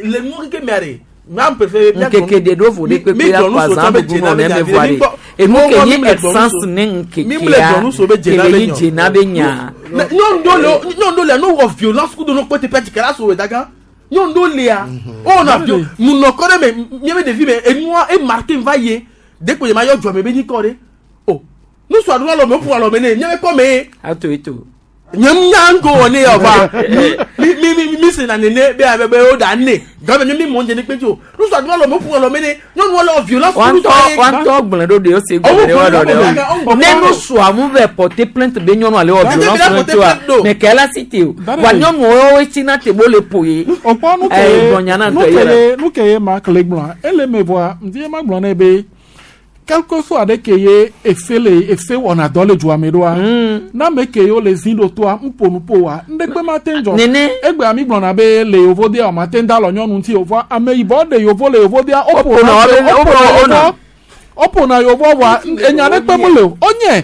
Speaker 17: le nu keke mɛ de
Speaker 18: nkeke de ɖo vo ɖe kpekpe akɔ azã bubu nɔ ne me voa ɖe enu ke nye essence ne nkekea kele nyi dzena be nya.
Speaker 17: nyɔnu ɖo le nyɔnu ɖo le no wɔ violence kudo no kpɔ teƒe dzika la so daga nyɔnu ɖo lea o na vio munɔ kɔ ɖe me nye be ɖevi me enua e marqué va ye dekpo ye ma yɔ dzɔme be nyi kɔ ɖe o nusu aɖo alɔ me o ƒo alɔ me ne nye be kɔ me.
Speaker 18: ato eto.
Speaker 17: nye nya ŋgo wɔ ne yɔ va mi mi mi mi sena nene be abe be o da ne gɔme mi mi mɔ dze ne kpe tso nusu aɖo alɔ me o ƒo alɔ me ne nyɔnuwo le wɔ violence.
Speaker 18: wantɔ wantɔ gblẽ ɖo de o se gblẽ ɖe wa dɔ ɖe o ne nusua mu vɛ porter plainte be nyɔnua le wɔ violence ne tsoa mɛ kɛ la si te o wa nyɔnuwo wo tsi na te bo le ƒo ye.
Speaker 20: O kpɔ nu ke nu ke ye nu ke ye ma kele gblɔa ele me vɔa ŋdi ye ma gblɔ ne be Quelque soit ɖe ke ye efe le efe wɔna dɔ le dua me ɖoa na ame ke yewo le zi ɖo toa ŋƒo nu ƒo wa ŋɖekpe ma te ŋdzɔ
Speaker 18: Nene.
Speaker 20: egbea mi gblɔna be le yevodea o ma te ŋda alɔ nyɔnu ŋuti o vɔa ame yibɔ ɖe yevo le yevodea
Speaker 18: Woƒona
Speaker 20: woƒona
Speaker 18: woƒe-
Speaker 20: woƒona woƒona yevo vɔa enya ɖe kpe mele o wonye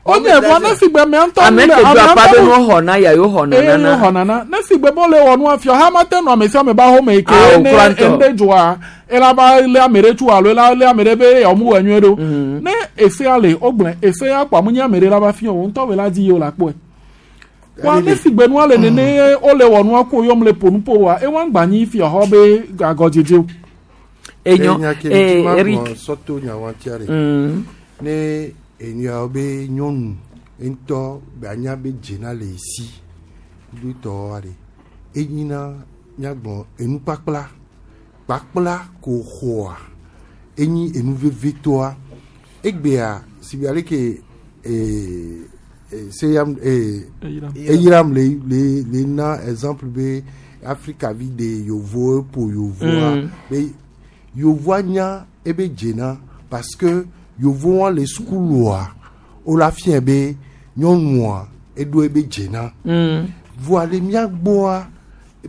Speaker 20: wonye vɔa ne si gbe mea ŋutɔ
Speaker 18: ame
Speaker 20: le
Speaker 18: ke do
Speaker 20: amea
Speaker 18: akpa be
Speaker 20: ŋutɔ
Speaker 18: no xɔna ya yo xɔna
Speaker 20: eye
Speaker 18: nana
Speaker 20: yo xɔna na ne si gbe be wole wɔ nua fia ha ma te nɔ ame sia ame ba xɔme yi ke
Speaker 18: Ah,
Speaker 20: ne
Speaker 18: okura ŋutɔ.
Speaker 20: ŋɖe dzɔa ela va lé ame ɖe tso alo ela lé ame ɖe be yewomu wɔ nyuie ɖo ne esea le wogblẽ esea kpɔ amu nye ame ɖe la va fia o ŋutɔ be la di ye o la kpɔe wa ne si gbe nua le nene ye wole wɔ nua ko yɔm le ƒo nu ƒo wa ewa ŋgba nyi fia xɔ be agɔdzedze o.
Speaker 18: Enyo,
Speaker 19: Enya ke
Speaker 18: eh,
Speaker 19: ŋuti ma
Speaker 18: Eric.
Speaker 19: gblɔ sɔto nyawatia ɖe.
Speaker 18: Mm.
Speaker 19: Ne enyawo be nyɔnu ŋutɔ be anya be dzena le esi kudo tɔwoa ɖe enyina míagblɔ enukpakpla kpakpla ko xɔa enyi enu vevitɔa egbea si be aleke ee seyam ee
Speaker 20: Eyiram.
Speaker 19: eyiram le le le na exemple be Afrika vi de yovo eƒo yovoa
Speaker 18: Mm.
Speaker 19: be yovoa nya ebe dzena parce que yovoa le sukulua wola fia be nyɔnua eɖo ebe dzena
Speaker 18: Mm.
Speaker 19: voa le mía gbɔa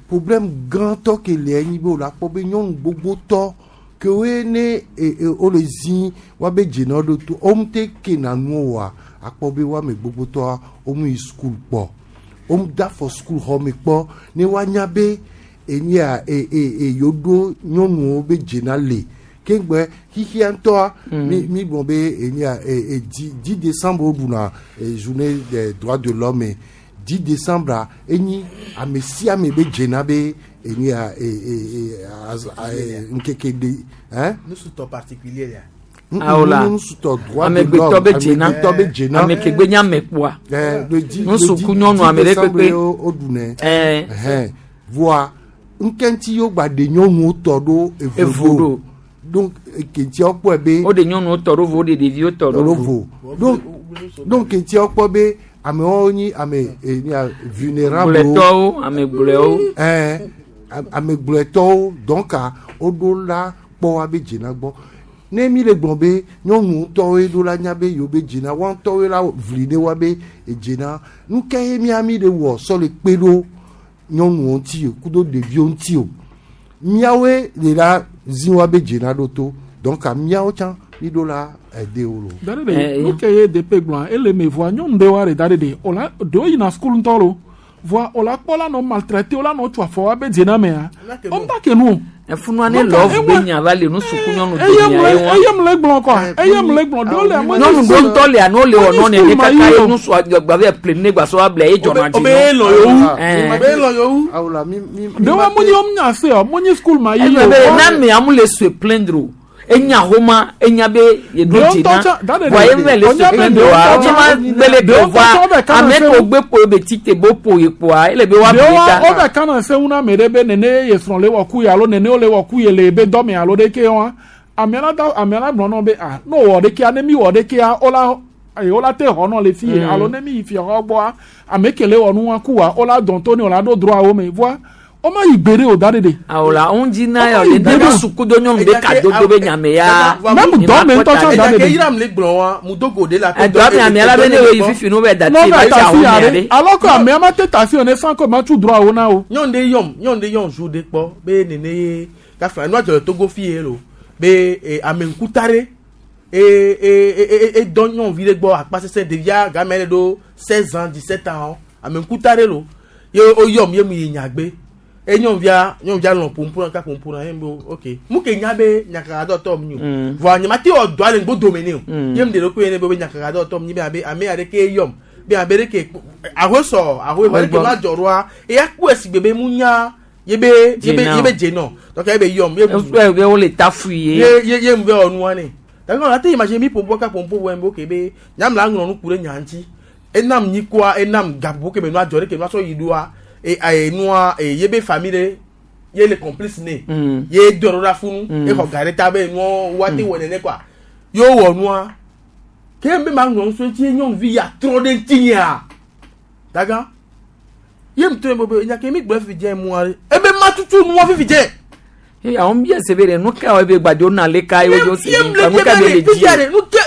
Speaker 19: problème gãtɔ ke le enyi be wola kpɔ be nyɔnu gbogbotɔ ke woe ne e, e, wole zi woabe dzena ɖo to womu te kena nu oa akpɔ be woame gbogbotɔa womu yi sukulu kpɔ womu da fɔ sukulu xɔ me kpɔ ne woanya be enyia e e e yewo ɖo nyɔnuwo be dzena le keŋgbe xixia ŋutɔa
Speaker 18: Mm.
Speaker 19: mi mi gblɔ be enyia e e dix dix décembre woɖuna e journée des droits de l'homme dix décembre enyi ame sia ame be dzena be enyia e e e az a e ŋkeke de hein
Speaker 17: Nusutɔ particulier ya.
Speaker 18: Awola.
Speaker 19: nusutɔ droit de
Speaker 18: amegbetɔ
Speaker 19: l'homme
Speaker 18: be dzena
Speaker 19: amegbetɔ be dzena
Speaker 18: ame ke gbe nye ame kpoa
Speaker 19: Eh, le dix le
Speaker 18: Nusu
Speaker 19: dix-
Speaker 18: ku nyɔnu
Speaker 19: dix
Speaker 18: ame ɖe
Speaker 19: décembre
Speaker 18: kpekpe.
Speaker 19: wo wo ɖunɛ
Speaker 18: Eh.
Speaker 19: Ɛhɛn. voa ŋkɛŋti yewo gba ɖe nyɔnuwo tɔ ɖo
Speaker 18: Evo
Speaker 19: evo
Speaker 18: ɖo.
Speaker 19: ɖo donc kentiawo kpɔe be
Speaker 18: woɖe nyɔnuwo tɔ ɖo vo woɖe ɖeviwo tɔ ɖo
Speaker 19: ɖo
Speaker 18: vo
Speaker 19: vo donc donc kentiawo kpɔ be amewo nyi ame e, nia vulnérable
Speaker 18: Gblɔetɔwo, ame gblɔewo.
Speaker 19: ɛn ame gblɔetɔwo donc a woɖo la kpɔ woabe dzena gbɔ ne mi le gblɔ be nyɔnu ŋutɔwoe ɖo la nya be yewo be dzena woa ŋutɔwoe la vli ne woabe edzena nu ke ye mía mi le wɔ sɔ le kpe ɖo nyɔnuwo ŋuti o kudo ɖeviwo ŋuti o míawoe le la zi woabe dzena ɖo to donc a míawo tsã mi ɖo la ɛde wo lo.
Speaker 20: Da ɖe ɖe nu ke ye DP gblɔa ele me voa nyɔnu ɖe wa ɖe da ɖe ɖe o la ɖewo yina sukulu ŋutɔ lo voa o la kpɔ la nɔ maltraité o la nɔ tso afɔ wa be dzena mea o ŋuta ke nu o.
Speaker 18: Efunua ne love be nya va le nusuku nyɔnu
Speaker 20: eye
Speaker 18: domea
Speaker 20: mu
Speaker 18: ye wa.
Speaker 20: eye mu le gblɔ kɔa eye mu le gblɔ ɖewo le ame
Speaker 18: Nyɔnu ɖo ŋutɔ lia no le wɔ nɔ nene
Speaker 20: ma
Speaker 18: kaka
Speaker 20: yi
Speaker 18: ye
Speaker 20: o.
Speaker 18: nusua gba be ple ne gba sɔ wa bla ye dzɔna dzi
Speaker 17: Obe lɔ yewu.
Speaker 18: Eh.
Speaker 17: Obe lɔ yewu.
Speaker 19: Awola mi mi.
Speaker 20: ɖewo mu nyi wo mu nya se o mu nyi sukulu ma yi
Speaker 18: Egblɔ
Speaker 20: o.
Speaker 18: be na ame amu le sue plaindre o enya homa enya be yeɖo
Speaker 20: Ɖewo
Speaker 18: dzena
Speaker 20: ŋutɔ tsã- da ɖe
Speaker 18: voa
Speaker 20: ɖe-
Speaker 18: ye mele
Speaker 20: ɖewo
Speaker 18: sue
Speaker 20: nya be
Speaker 18: plaindre
Speaker 20: ɖewo
Speaker 18: oa
Speaker 20: ŋutɔ
Speaker 18: wotse
Speaker 20: tsã-
Speaker 18: ma gbele
Speaker 20: ɖewo
Speaker 18: do
Speaker 20: ŋutɔ tsã
Speaker 18: voa
Speaker 20: wobe kana
Speaker 18: ame
Speaker 20: se
Speaker 18: ke
Speaker 20: ŋu.
Speaker 18: wogbe ƒo be tite bo ƒo ye kpoa ele be woable
Speaker 20: ɖewo
Speaker 18: ta
Speaker 20: wo bɛ kana se ŋu na ame ɖe be nene ye srɔ̃ le wɔ ku ye alo nene wo le wɔ ku ye le ebe dɔme alo ɖeke wa amea la da amea la gblɔ nɔ be ah ne wɔ ɖekea ne mi wɔ ɖekea wo la eye wo la te xɔ nɔ le fi ye
Speaker 18: Mm.
Speaker 20: alo ne mi yi fia xɔ gbɔa ame ke le wɔ nu wa ku wa wo la dɔn to ne wo la ɖo droit wo me voa wo ma yi gbe ɖe o da ɖe ɖe.
Speaker 18: awola ŋu dzi na
Speaker 20: Wo
Speaker 18: yɔ
Speaker 20: ma yi
Speaker 18: le
Speaker 20: gbe ɖe
Speaker 18: na
Speaker 20: o.
Speaker 18: suku do nyɔnu be kadodo be nyame ya
Speaker 20: Même dɔme ŋutɔ tsã da ɖe
Speaker 17: Enya ke
Speaker 20: ɖe.
Speaker 17: yiram le gblɔ wa mu dogo de la.
Speaker 18: Edɔ ame amea la be ne wo yi fifi no be dati
Speaker 20: n'o
Speaker 18: ba
Speaker 20: bɛ
Speaker 18: tsi
Speaker 20: ta
Speaker 18: awo
Speaker 20: si
Speaker 18: mea
Speaker 20: ya ɖe
Speaker 18: ɖe
Speaker 20: alors que amea ma te ta si o ne sans que ma tsu droit wo na o.
Speaker 17: Nyɔnu ɖe yɔm nyɔnu ɖe yɔm zu ɖe kpɔ be nene ye kafla nua dzɔ le Togo fi ye lo be e, ame ŋkuta ɖe e e e e e dɔ nyɔnuvi ɖe gbɔ akpa sese ɖevia game ɖe ɖo seize ans dix sept ans ame ŋkuta ɖe lo ye wo yɔm ye mu yi nyagbe e nyɔnuvia nyɔnuvia lɔ ƒomƒo na ka ƒomƒo na ye mu be ok mu ke nya be nyakakadɔtɔ mu nyi o
Speaker 18: Mm.
Speaker 17: voa nye ma te wɔ dɔa le ŋgbo dome ne o
Speaker 18: Mm.
Speaker 17: ye mu de ɖokui ne be be nyakakadɔtɔ mu nyi be abe ame aɖeke yɔm be abe ɖeke ahoe sɔ ahoe vɔ ɖeke ma dzɔ ɖoa eya kpɔe si gbe be mu nya ye be ye be
Speaker 18: Dzenɔ.
Speaker 17: ye be dzenɔ donc ye be yɔm ye mu
Speaker 18: Ekpɔe be wole tafui ye
Speaker 17: ye ye ye mu be wɔ nua ne donc on a te imagine mi ƒomƒo ka ƒomƒo wɔ be ok be nyam la ŋlɔ nu ku ɖe nya ŋuti enam nyikoa enam gaƒoƒo ke me nua dzɔ ɖe ke nua sɔ yi ɖoa e e nua e ye be famille ɖe ye le complice ne
Speaker 18: Mm.
Speaker 17: ye do ɖo ɖa funu
Speaker 18: Mm.
Speaker 17: exɔ ga ɖe ta be nua woate wɔ nene kɔa ye wowɔ nua ke be ma ŋlɔ nu so ŋuti ye nyɔnuvi ya trɔ ɖe ŋuti nyea daga ye mu to ye be be nya ke mi gblɔ fifi dze mua ɖe ebe ma tutu nua fifi dze.
Speaker 18: Eh, àwọn bí ẹsẹ̀ bẹ̀rẹ̀ nu ká ebe gbadzo na le ka ye wodzo se
Speaker 17: Yem
Speaker 18: mi
Speaker 17: le
Speaker 18: nu ka
Speaker 17: be
Speaker 18: be le
Speaker 17: le
Speaker 18: dzi
Speaker 17: fifia ɖe nu ke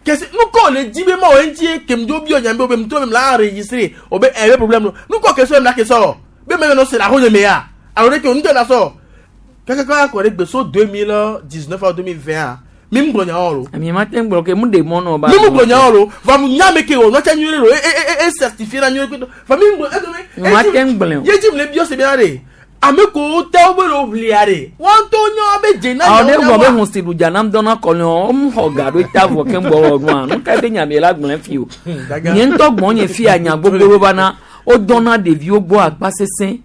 Speaker 17: kesi nu kɔ le dzi be ma o ŋuti kemi dzo bi ɔnya be o be mutɔ me la enregistré o be ɛɛ be problème no nu kɔ kesi o la kesɔ lɔ be mɛ nɔ se la ho nye me ya alo ɖe ke o ŋutɔ la sɔ kɛkɛ kɔ akɔ ɖe gbe so deux mille dix neuf deux mille vingt a mi mu gblɔ nyawo lo
Speaker 18: mi ma te gblɔ ke mu de mɔ nɔ ba
Speaker 17: mi mu gblɔ nyawo lo va mu nya me ke o nɔtɛ nyuie lo e e e e certifié la nyuie koto va mi mu gblɔ e
Speaker 18: Mi ma te gblẽ o.
Speaker 17: ye dzi mi le biɔ se bia de ame ko te wo be le wo ʋlia de wɔn to nyɔ be dze na
Speaker 18: awo ne
Speaker 17: nyawo
Speaker 18: gblɔ be
Speaker 17: nyawoa.
Speaker 18: hun si ɖu dza nam dɔna kɔlɛ o mu xɔ ga ɖo ta vɔ ke ŋgbɔ wɔ nua nu ka be nyame la gblẽ fi o nye ŋutɔ gbɔ nye fi anya gbogbo ɖo va na wodɔna ɖeviwo gbɔ akpa sesẽ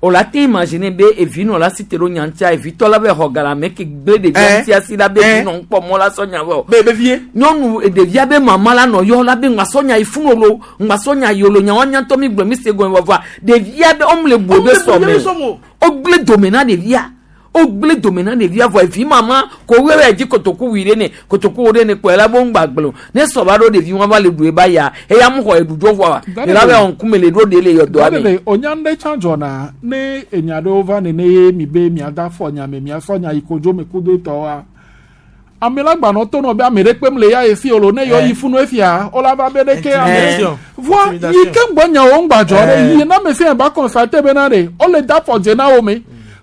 Speaker 18: o la te imaginer be evi nɔ la si te ɖo nya ŋutia evitɔ la be xɔ ga le ame ke gblẽ ɖevia
Speaker 17: Eh.
Speaker 18: ŋutia si la be
Speaker 17: Eh.
Speaker 18: vi nɔ ŋkpɔ mɔ la sɔ nya vɔ
Speaker 17: be be vie
Speaker 18: nyɔnu ɖevia be mama la nɔ yɔ la be ŋgbasɔ nya yi funu lo ŋgbasɔ nya yi lo nyawo nyatɔ mi gblɔ mi se gɔme vɔvɔa ɖevia be ɔmu le bu ebe sɔme o wogblẽ dome na ɖevia wogblẽ dome na ɖevia vɔ evi mama ko wɛwɛ dzi kotoku wui ɖe ne kotoku wo ɖe ne kpɔe la bo ŋgba gblẽ o ne sɔ va ɖo ɖevi wọn va le ɖu eba ya eya mu xɔ eɖu dzo vɔa
Speaker 20: Daniel.
Speaker 18: le la be ŋkume le ɖo ɖe le yɔdɔa me
Speaker 20: Daniel, onya ŋɖe tsã dzɔna ne enya ɖewo va nene ye mi be miada fɔ nya me miasɔ nya yi kodzo me kudo etɔwoa ame la gbanɔ to nɔ be ame ɖe kpem le ya esi o lo ne yɔ
Speaker 17: Eh.
Speaker 20: yi funu efia wola va be ɖeke ame
Speaker 17: Intimidation.
Speaker 20: voa yi
Speaker 17: Intimidation.
Speaker 20: ke ŋgbɔ nyawo ŋgba dzɔ ɖe
Speaker 17: Eh.
Speaker 20: yi na ame sia ba constate bena ɖe wole da fɔ dze na wo me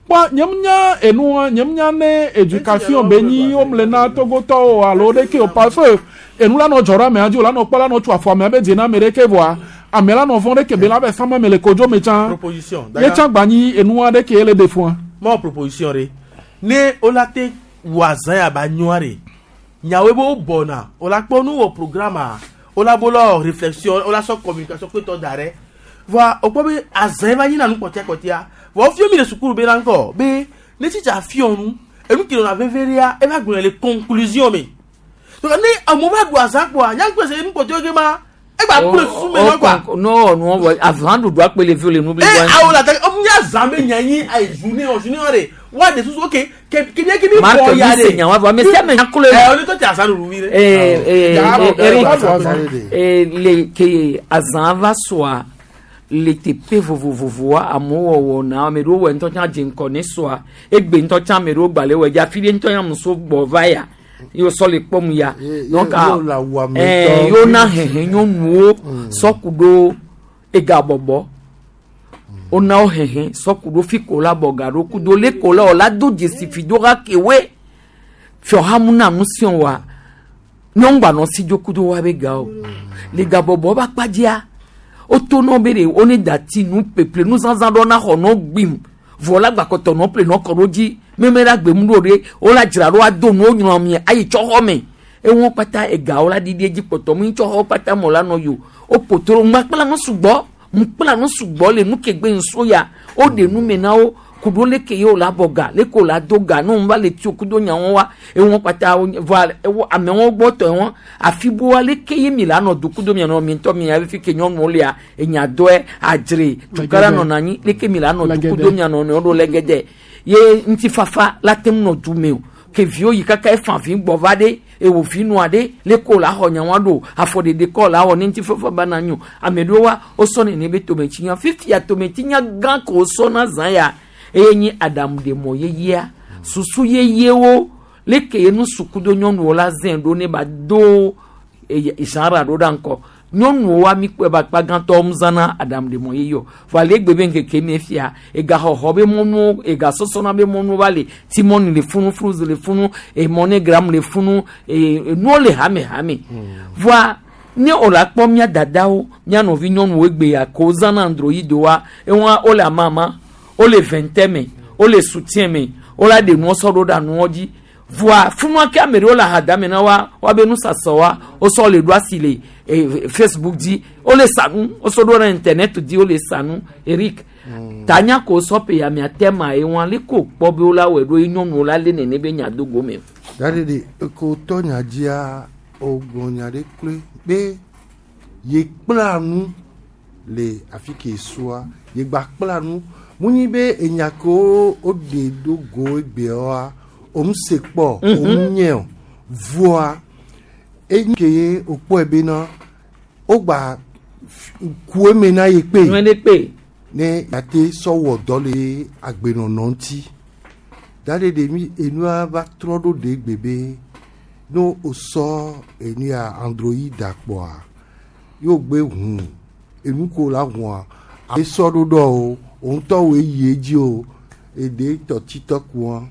Speaker 20: kpɔ nye nya enua nye nya ne éducation be nyi womle na togotɔwo alo ɖeke o parce que enu la nɔ dzɔ ɖe amea dzi o la nɔ kpɔ la nɔ tso afɔ amea be dze na ame ɖeke voa ame la nɔ vɔ̃ ɖeke be la be sama me le kodzo me tsã
Speaker 17: proposition
Speaker 20: ye tsã gba nyi enua ɖeke ye le ɖe fua.
Speaker 17: mɔ proposition ɖe ne wola te wɔ azã ya ba nyɔa ɖe nyawoe be wo bɔna wola kpɔ nu wɔ programme a wola bo lɔ réflexion wola sɔ communication kpetɔ da ɖe voa wokpɔ be azã ye va nyina nu kpɔtia kpɔtia vɔ wofio mi le sukulu be la ŋkɔ be ne tsitsa fiɔ nu enu ke nɔna veve ɖea eva gblɔ le conclusion me donc ne amewo va ɖu azã kpɔa nyaŋkpe se nu kpɔtiwo ke ma egba kple susu me nɔ kɔa
Speaker 18: n'o wɔ nuwɔ vɔ azã ɖuɖu akpe le vi le nu
Speaker 17: e
Speaker 18: blibo
Speaker 17: awo la ta ɔmu nya zã be nya nyi ayi journée o journée o de wa de susu ok ke ke ke mi
Speaker 18: Marc
Speaker 17: bɔ ya
Speaker 18: mi se
Speaker 17: de
Speaker 18: nya wa vɔ ame sia ame nya klo
Speaker 17: ɛ o ne tɔ ti azã ɖuɖu vi de.
Speaker 18: Eh, eh,
Speaker 17: Ya,
Speaker 18: eh, Eric,
Speaker 17: Eric.
Speaker 18: eh, le ke azã va sɔa le teƒe vovovovoa amewo wɔwɔ na ame ɖewo wɔ ŋutɔ tsã dze ŋkɔ ne sɔa egbe ŋutɔ tsã ame ɖewo gbalẽ wɔ dzi afi ɖe ŋutɔ nya muso gbɔ va ya ye wosɔ le kpɔm ya
Speaker 19: Ye-
Speaker 18: donc
Speaker 19: ye-
Speaker 18: ah,
Speaker 19: ye la wu ame
Speaker 18: eh,
Speaker 19: tɔ.
Speaker 18: yewo na hehe nyɔnuwo sɔku ɖo ega bɔbɔ wona wo hehe sɔku ɖo fi ko la bɔ ga ɖo kudo le ko la o la do dzesi fi do ha kewoe fiɔhamu na nu siɔ wa nyɔnugbanɔ si dzo kudo wa be ga o le gabɔbɔ ba kpadzia woto nɔ be de wo ne dati nu peple nu zazã ɖɔ na xɔ nɔ gbim vɔ la gbakɔtɔ nɔ ple nɔ kɔ ɖo dzi meme la gbemu ɖo ɖe wo la dzra ɖo ado nuwo nyrɔ mi ayi tsɔ xɔ me eŋuwo kpata egawo la ɖiɖi edzi kpɔtɔ mu tsɔ xɔ kpata mɔ la nɔ yi o wo potro ŋgbakpla nu sugbɔ ŋkpla nu sugbɔ le nu kegbe ŋso ya wo ɖe nu me na wo kudo leke ye wo la bɔ ga leke wo la do ga ne wo va le tsi kudo nyawo wa eŋuwo kpata wo vɔa ewo amewo gbɔ tɔ ŋu afiboa leke ye mi la nɔ do kudo mia nɔ mi ŋutɔ mi ya fi ke nyɔnuwo lia enya dɔe adzre tukara nɔna anyi leke mi la nɔ do kudo mia nɔ nɔewo ɖo lɛgɛdɛ ye ŋutifafa la te ŋu nɔ du me o ke viwo yi kaka efa vi gbɔ va ɖe ewo vi nua ɖe leke wo la xɔ nyawoa ɖo afɔɖeɖe kɔ la wɔ ne ŋutifafa ba na nyo ame ɖewo wa wosɔ nene be tometsinya fifia tometsinya gã ko wosɔ na zã ya eye nyi aɖaŋuɖemɔ yeyea susu yeyewo leke ye nu sukudo nyɔnuwo la zẽ ɖo ne ba do genre ɖo ɖa ŋkɔ nyɔnuwo wa mi kpɔe ba akpa gãtɔ mu zãna aɖaŋuɖemɔ yeye o vɔ ale egbe be ŋkeke mi fia egaxɔxɔ be mɔnuwo egasɔsɔna be mɔnuwo va le timɔni le funu fruzi le funu emɔnegram le funu ee nuwo le hame hame voa ne o la kpɔ mía dadawo mía nɔvi nyɔnuwo egbe ya ko zãna androidowa ewa wole amama wole vɛntɛ me wole soutien me wola ɖe nuwo sɔ ɖo ɖa nuwo dzi voa funua ke ame ɖewo le ahadame na wa woabe nusasɔ wa wosɔ le ɖo asi le eh, facebook dzi wole sa nu wosɔ ɖo ɖe internet dzi wole sa nu eric tanya ko sɔ pe amea tɛma ye wa le ko kpɔ be wola wɔe ɖo ye nyɔnuwo la lé nene be nya do gome o.
Speaker 19: Daɖeɖe eko tɔ nya dzia wogblɔ nya ɖe kloe be ye kpla nu le afi ke sua ye gba kpla nu mu nyi be enya kewo woɖe do go egbeawoa òun se kpɔ
Speaker 18: Mhm.
Speaker 19: òun nye o voa enyi ke ye wòkpɔe bena wogba f- ku eme na ye kpe
Speaker 18: ne kpe
Speaker 19: ne yate sɔ wɔ dɔ le agbenɔnɔ ŋuti Da ɖe ɖe mi enua va trɔ ɖo ɖe gbe be no o sɔ enu ya android kpɔa yóò gbe hu enu ko la hua esɔ ɖo ɖɔ o o ŋutɔ woe yi edzi o eɖe tɔ titɔ kua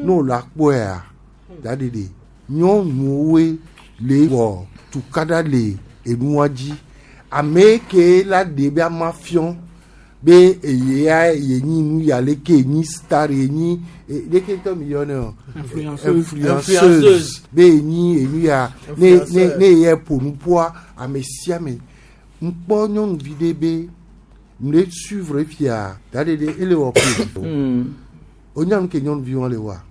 Speaker 19: no la kpɔea da ɖe ɖe nyɔnuwoe le wɔ tukaɖa le enua dzi ame ke la ɖe be ama fiɔ be eye ye nyi nu ya leke nyi star ye nyi e- leke tɔ mi yɔ ne o
Speaker 20: Influenceuse.
Speaker 19: influenceuse be nyi enu ya ne ne ne ye ƒo nu ƒoa ame sia ame ŋkpɔ nyɔnuvi ɖe be m le suivre fia da ɖe ɖe ele wɔ ko o nya nu ke nyɔnuvi wɔn le wa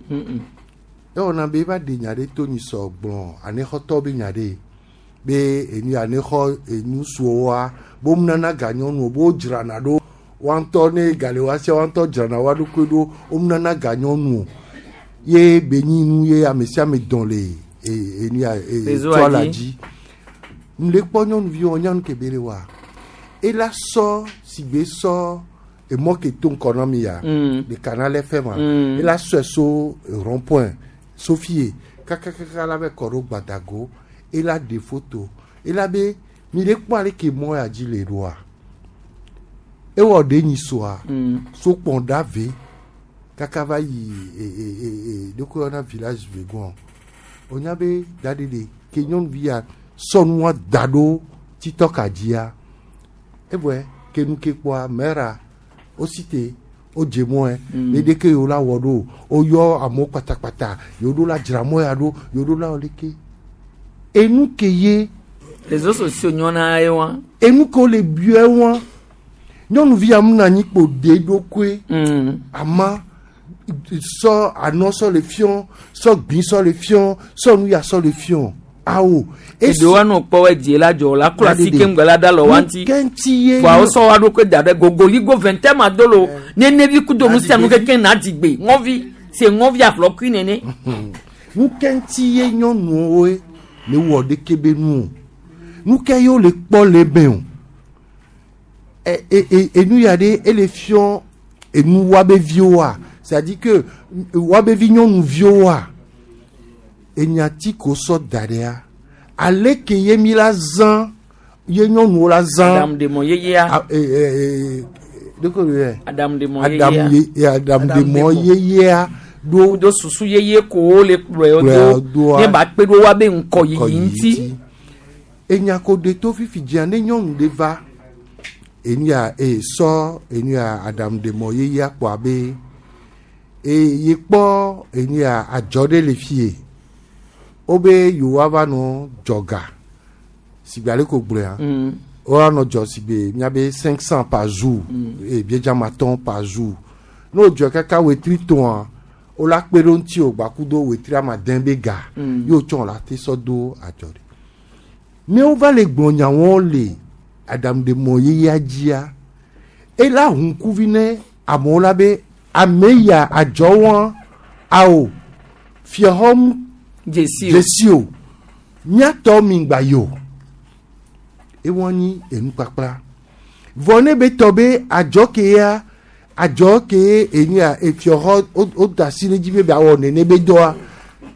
Speaker 19: ewɔna be eva ɖe nya ɖe to nyi sɔ gblɔ anexɔtɔ be nya ɖe be enu ya nexɔ enu suwoa bo nana ga nyɔnuwo bo dzrana ɖo wa ŋutɔ ne ga le wa sia wa ŋutɔ dzrana wa ɖokui ɖo wo nana ga nyɔnuwo ye be nyi nu ye ame sia ame dɔn le e- enu ya e-
Speaker 18: Réseau
Speaker 19: toa la
Speaker 18: dzi.
Speaker 19: dzi m le kpɔ nyɔnuvi wɔn nyɔnu ke be le wa ela sɔ sigbe sɔ emɔ ke to ŋkɔ na mi ya
Speaker 18: Mm.
Speaker 19: le canal F M ma
Speaker 18: Mm.
Speaker 19: ela sɔe so rond point sofie kakakaka la bɛ kɔ ɖo gbadago ela ɖe photo ela be mi le kpɔ ale ke mɔ ya dzi le ɖoa ewɔ ɖe nyi soa so kpɔn ɖa ve kaka va yi e e e e ɖoko yɔna village vegon o nya be da ɖe ɖe ke nyɔnuvi ya sɔ nua da ɖo titɔka dzia evɔe ke nu ke kpɔa mɛra o si te o dze mɔe
Speaker 18: Mm.
Speaker 19: ne ɖeke yewo la wɔ ɖo o yɔ amewo kpatakpata yewo ɖo la dzra mɔ ya ɖo yewo ɖo la wɔ leke enu ke ye
Speaker 18: réseaux sociaux nyɔna ye wa
Speaker 19: enu ke wo le biɔ wa nyɔnuvi ya mu na anyi kpo de ɖokoe ama sɔ anɔ sɔ le fiɔ sɔ gbin sɔ le fiɔ sɔ nu ya sɔ le fiɔ awo.
Speaker 18: eɖewo anɔ kpɔ wɛ die la dzɔ la kura
Speaker 19: Dadede.
Speaker 18: si ke ŋgɔ la da lɔ wa ŋuti
Speaker 19: Nukɛnti ye
Speaker 18: wa wosɔ wa ɖo ke da ɖe gogoligo vɛntɛ ma do lo nenevi kudo nu sia nu keke na dzigbe ŋɔvi se ŋɔvi aflɔkui nene
Speaker 19: nukɛnti ye nyɔnuwoe le wɔ ɖeke be nu o nukɛ ye wo le kpɔ le be o ɛ ɛ ɛ enu ya ɖe ele fiɔ enu wa be viwoa c'est à dire que wa be vi nyɔnuviwoa enyati ko sɔ da ɖea ale ke ye mi la zã ye nyɔnuwo la zã
Speaker 18: Adamu yeyea
Speaker 19: A- ɛ ɛ ɛ ɖeko le yɛ
Speaker 18: adamu
Speaker 19: adamu
Speaker 18: yeyea
Speaker 19: ye adamu yeyea ɖo
Speaker 18: do susu yeye kowo le kplɔe
Speaker 19: Kplɔe
Speaker 18: do
Speaker 19: doa.
Speaker 18: ne ba kpe ɖo wa be ŋkɔ yiyi ŋuti
Speaker 19: enya ko de to fifi dzia ne nyɔnu ɖe va enu ya e sɔ enu ya aɖaŋudemɔ yeyea kpɔ abe e ye kpɔ enu ya adzɔ ɖe le fie wobe yewoa va nɔ dzɔga sigbe ale ko gblɔa
Speaker 18: Mm.
Speaker 19: woa nɔ dzɔ sigbe miabe cinq cent par jour
Speaker 18: Mm.
Speaker 19: e biedzama tɔn par jour ne wodzɔ kaka wetri tɔa wola kpe ɖo ŋuti o gbakudo wetri amadẽ be ga
Speaker 18: Mm.
Speaker 19: ye wotsɔ la te sɔ do adzɔ ɖe ne wova le gblɔ nyawo le aɖaŋudemɔ yeyea dzia ela hu ŋkuvi ne amewo la be ame ya adzɔ wɔn awo fiaxɔm
Speaker 18: dzesi o
Speaker 19: dzesi o míatɔ mi gba yi o ewɔn nyi enukpakpla vɔ ne be tɔ be adzɔ ke ya adzɔ ke enu ya efiaxɔ wo da asi ɖe dzi be be awɔ nene be dɔa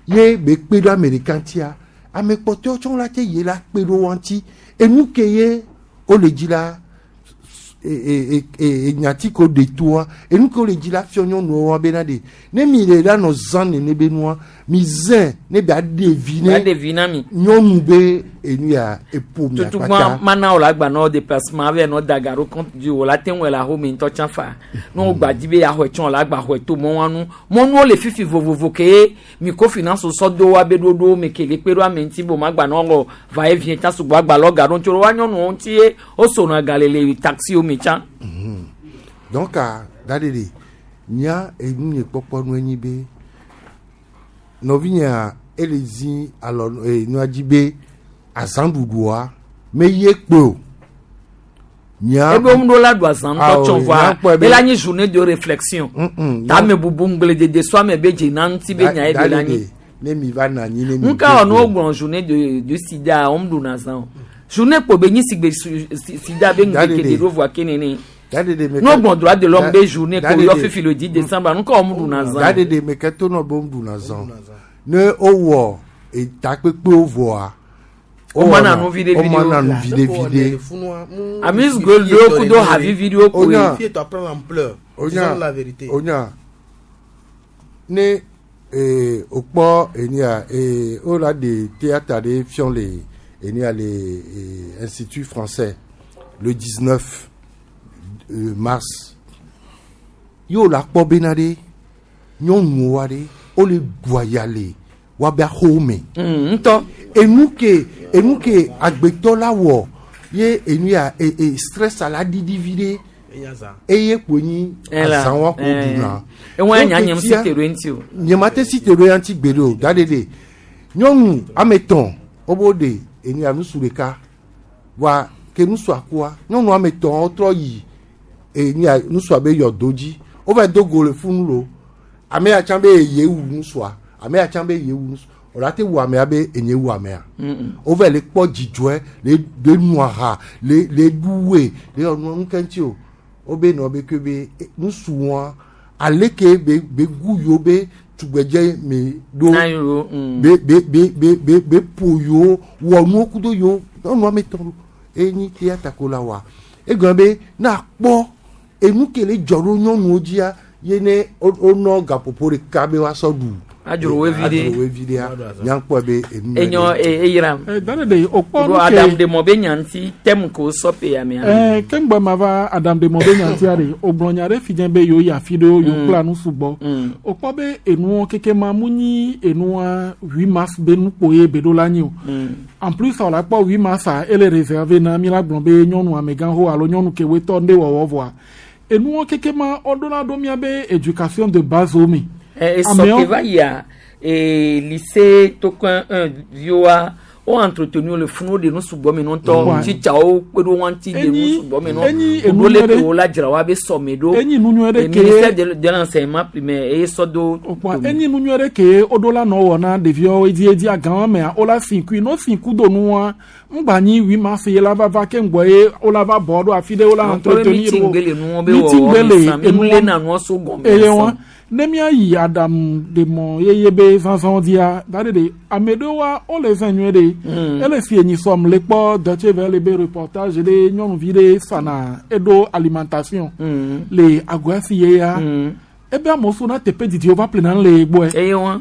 Speaker 19: ye be kpe ɖo ame ɖeka ŋutia ame kpɔtɔewo tsɔ la te ye la kpe ɖo wa ŋuti enu ke ye wole dzi la e- e- e- enyati ko de toa enu ke wole dzi la fiɔ nyɔnuwo wa bena de ne mi le la nɔ zã nene be nua mi zẽ ne be aɖe vi
Speaker 18: ba
Speaker 19: ne
Speaker 18: ɖe vi na mi
Speaker 19: nyɔnu be enu ya eƒo mia
Speaker 18: tutugbɔn
Speaker 19: kpata
Speaker 18: mana wo la gba nɔ déplacement avɛ nɔ da ga ɖo compte du wo la te ŋu le ahome ŋutɔ tsã fa ne wo gba dzi be yaxɔe tsã wo la gba xɔe to mɔ wa nu mɔnuwo le fifi vovovo ke mi ko finance sɔ do wa be ɖoɖowo me ke le kpe ɖo ame ŋuti bo ma gba nɔ wɔ va et vient tsã sugbɔ agba lɔ ga ɖo ŋuti wa nyɔnuwo ŋuti ye wo sona ga le le taxiwo me tsã.
Speaker 19: Donc a da ɖe ɖe nya enu nye kpɔkpɔ nu enyi be nɔvinyea ele zi alɔ e nua dzi be azãɖuɖua me ye kpe o nya
Speaker 18: ebe wo ɖo la ɖu azã ŋutɔ
Speaker 19: Awo,
Speaker 18: tsɔ
Speaker 19: nya
Speaker 18: vɔa
Speaker 19: kpɔe be-
Speaker 18: ela nyi journée de réflexion
Speaker 19: Mm-mm,
Speaker 18: tame bubu ŋgbledede so ame be dzena ŋuti be nya ye
Speaker 19: Da-
Speaker 18: be la
Speaker 19: da ɖe
Speaker 18: nyi.
Speaker 19: ɖe, ne mi va na anyi ne mi
Speaker 18: nka wɔ
Speaker 19: do
Speaker 18: ne wogblɔ journée de de sida wɔm ɖuna azã o journée kpo be nyi sigbe su- si- sida be
Speaker 19: Da ɖe
Speaker 18: ŋgbeke
Speaker 19: ɖe.
Speaker 18: de ɖo voa ke nene. Nous bon droit de l'homme be journée ko yɔ fifi le dix décembre nu ka wɔm ɖuna zã.
Speaker 19: Daɖeɖe me ke to nɔ be wɔm ɖuna zã. Ne wowɔ etakpekpewo vɔa.
Speaker 18: Womana nu viɖe viɖe.
Speaker 19: Womana nu viɖe viɖe.
Speaker 18: Amuse gueule ɖewo kudo havi viɖewo koe.
Speaker 19: Onya onya ne ee wokpɔ enia ee wola ɖe théâtre ɖe fiɔ le enia le ee Institut français le dix-neuf mars ye wòle akpɔ bena ɖe nyɔnuwo ɖe wole ɖua ya le woabe axowo me.
Speaker 18: Ŋutɔ.
Speaker 19: Enu ke enu ke agbetɔ la wɔ ye enu ya e e stress la ɖiɖi vi ɖe eye kpo nyi azã wa ko ɖuna.
Speaker 18: Eŋua nya nye si te ɖo eŋuti o.
Speaker 19: Nye ma te si te ɖo eŋuti gbeɖe o da ɖe ɖe nyɔnu ame etɔ̃ wobo ɖe enu ya nusu ɖeka wa ke nusua kua nyɔnu ame etɔ̃ wotrɔ yi enu ya nusua be yɔdo dzi wova do go le funu lo ame ya tsã be ye wu nusua ame ya tsã be ye wu nusua wòle ate wu amea be enye wu amea wova le kpɔ dzidzɔe le le nua ha le le ɖu woe le yɔ nua ŋu keŋuti o wobe nɔ be ke be nusu wɔa aleke be be gu yiwo be tugbedze me ɖo be be be be be be ƒo yiwo wɔ nuwo kudo yiwo nyɔnu ame etɔ̃ ɖo enyi théâtre ko la wa egblɔ be ne akpɔ enu ke le dzɔ ɖo nyɔnuwo dzia ye ne wonɔ gaƒoƒo ɖeka be woasɔ ɖu
Speaker 18: adzro wo vi ɖe
Speaker 19: adzro wo vi ɖea nyankpɔ be enu
Speaker 18: enyɔ eyram
Speaker 20: dane de okpɔ
Speaker 18: nu ke adam de mɔ be nyanti tɛm ko sɔpe ya mea
Speaker 20: ɛɛ keŋgbɔ ma va adam de mɔ be nyanti are ogblɔ nya ɖe fi dze be yewo yi afi ɖewo yewo kpla nu sugbɔ okpɔ be enuwo keke ma mu nyi enua huit mars be nukpo ye be ɖo la nyi o en plus wòle akpɔ huit mars a ele réservé na mi la gblɔ be nyɔnu amegãxo alo nyɔnu kewoe tɔ ŋɖe wɔwɔ vɔa enuwo keke ma woɖo la ɖo mía be éducation de base wo me.
Speaker 18: Esɔ ke va yia lycée Tokoin un viwoa wo entretenu le funu de nu sugbɔ me ŋutɔ tsitsawo kpe ɖo wɔn ŋuti de nu sugbɔ me nɔ ɖo le ke wo la dzra wa be sɔme ɖo
Speaker 20: enyi nu nyuie ɖe ke
Speaker 18: ministère de de l'enseignement primaire eye sɔ do.
Speaker 20: Enyi nu nyuie ɖe ke woɖo la nɔ wɔ na ɖeviwo edziedzi agãwo mea wo la si kui no si ku do nua ŋgba nyi huit mars ye la va va ke ŋgbɔ ye wo la va bɔ ɖo afi ɖe wo la entretenir
Speaker 18: wo meeting gbe le enuwo le na nuwo so gɔme
Speaker 20: eye wɔn ne míayi aɖaŋu ɖe mɔ yeye be zazã dzia da ɖe ɖe ame ɖewoa wole zã nyuie ɖe ele si enyi sɔm le kpɔ Deutsche Welle be reportage ɖe nyɔnuvi ɖe sana eɖo alimentation le agoa si ye ya ebe amewo so na teƒe didi wova ƒlena le gbɔe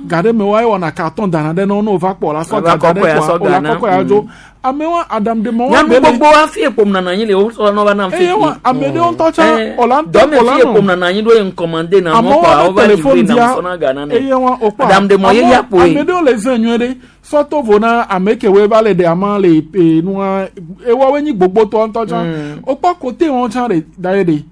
Speaker 20: ga ɖe me wa ewɔna carton dana ɖe ne wo va kpɔ la sɔ ga da ɖe kɔa o la kɔkɔ ya dzo amewo aɖaŋu ɖe mɔ
Speaker 18: nyɔnu gbogbo wa fi ekpom nana anyi le wo sɔ nɔ va nam fi
Speaker 20: eye wa ame ɖewo ŋutɔ tsã ɔla ŋutɔ
Speaker 18: dɔme
Speaker 20: ɔla
Speaker 18: fi ekpom nana anyi ɖo ye ŋkɔmande na mɔ kpa wo va livré na sɔ na ga na ne
Speaker 20: eye wa o kpɔ
Speaker 18: aɖaŋu ɖe mɔ ye ya kpoe
Speaker 20: ame ɖewo le zẽ nyuie ɖe sɔto vo na ame kewoe va le ɖe ama le enua ewoawoe nyi gbogbotɔ ŋutɔ tsã o kpɔ kote wɔn tsã ɖe da ye ɖe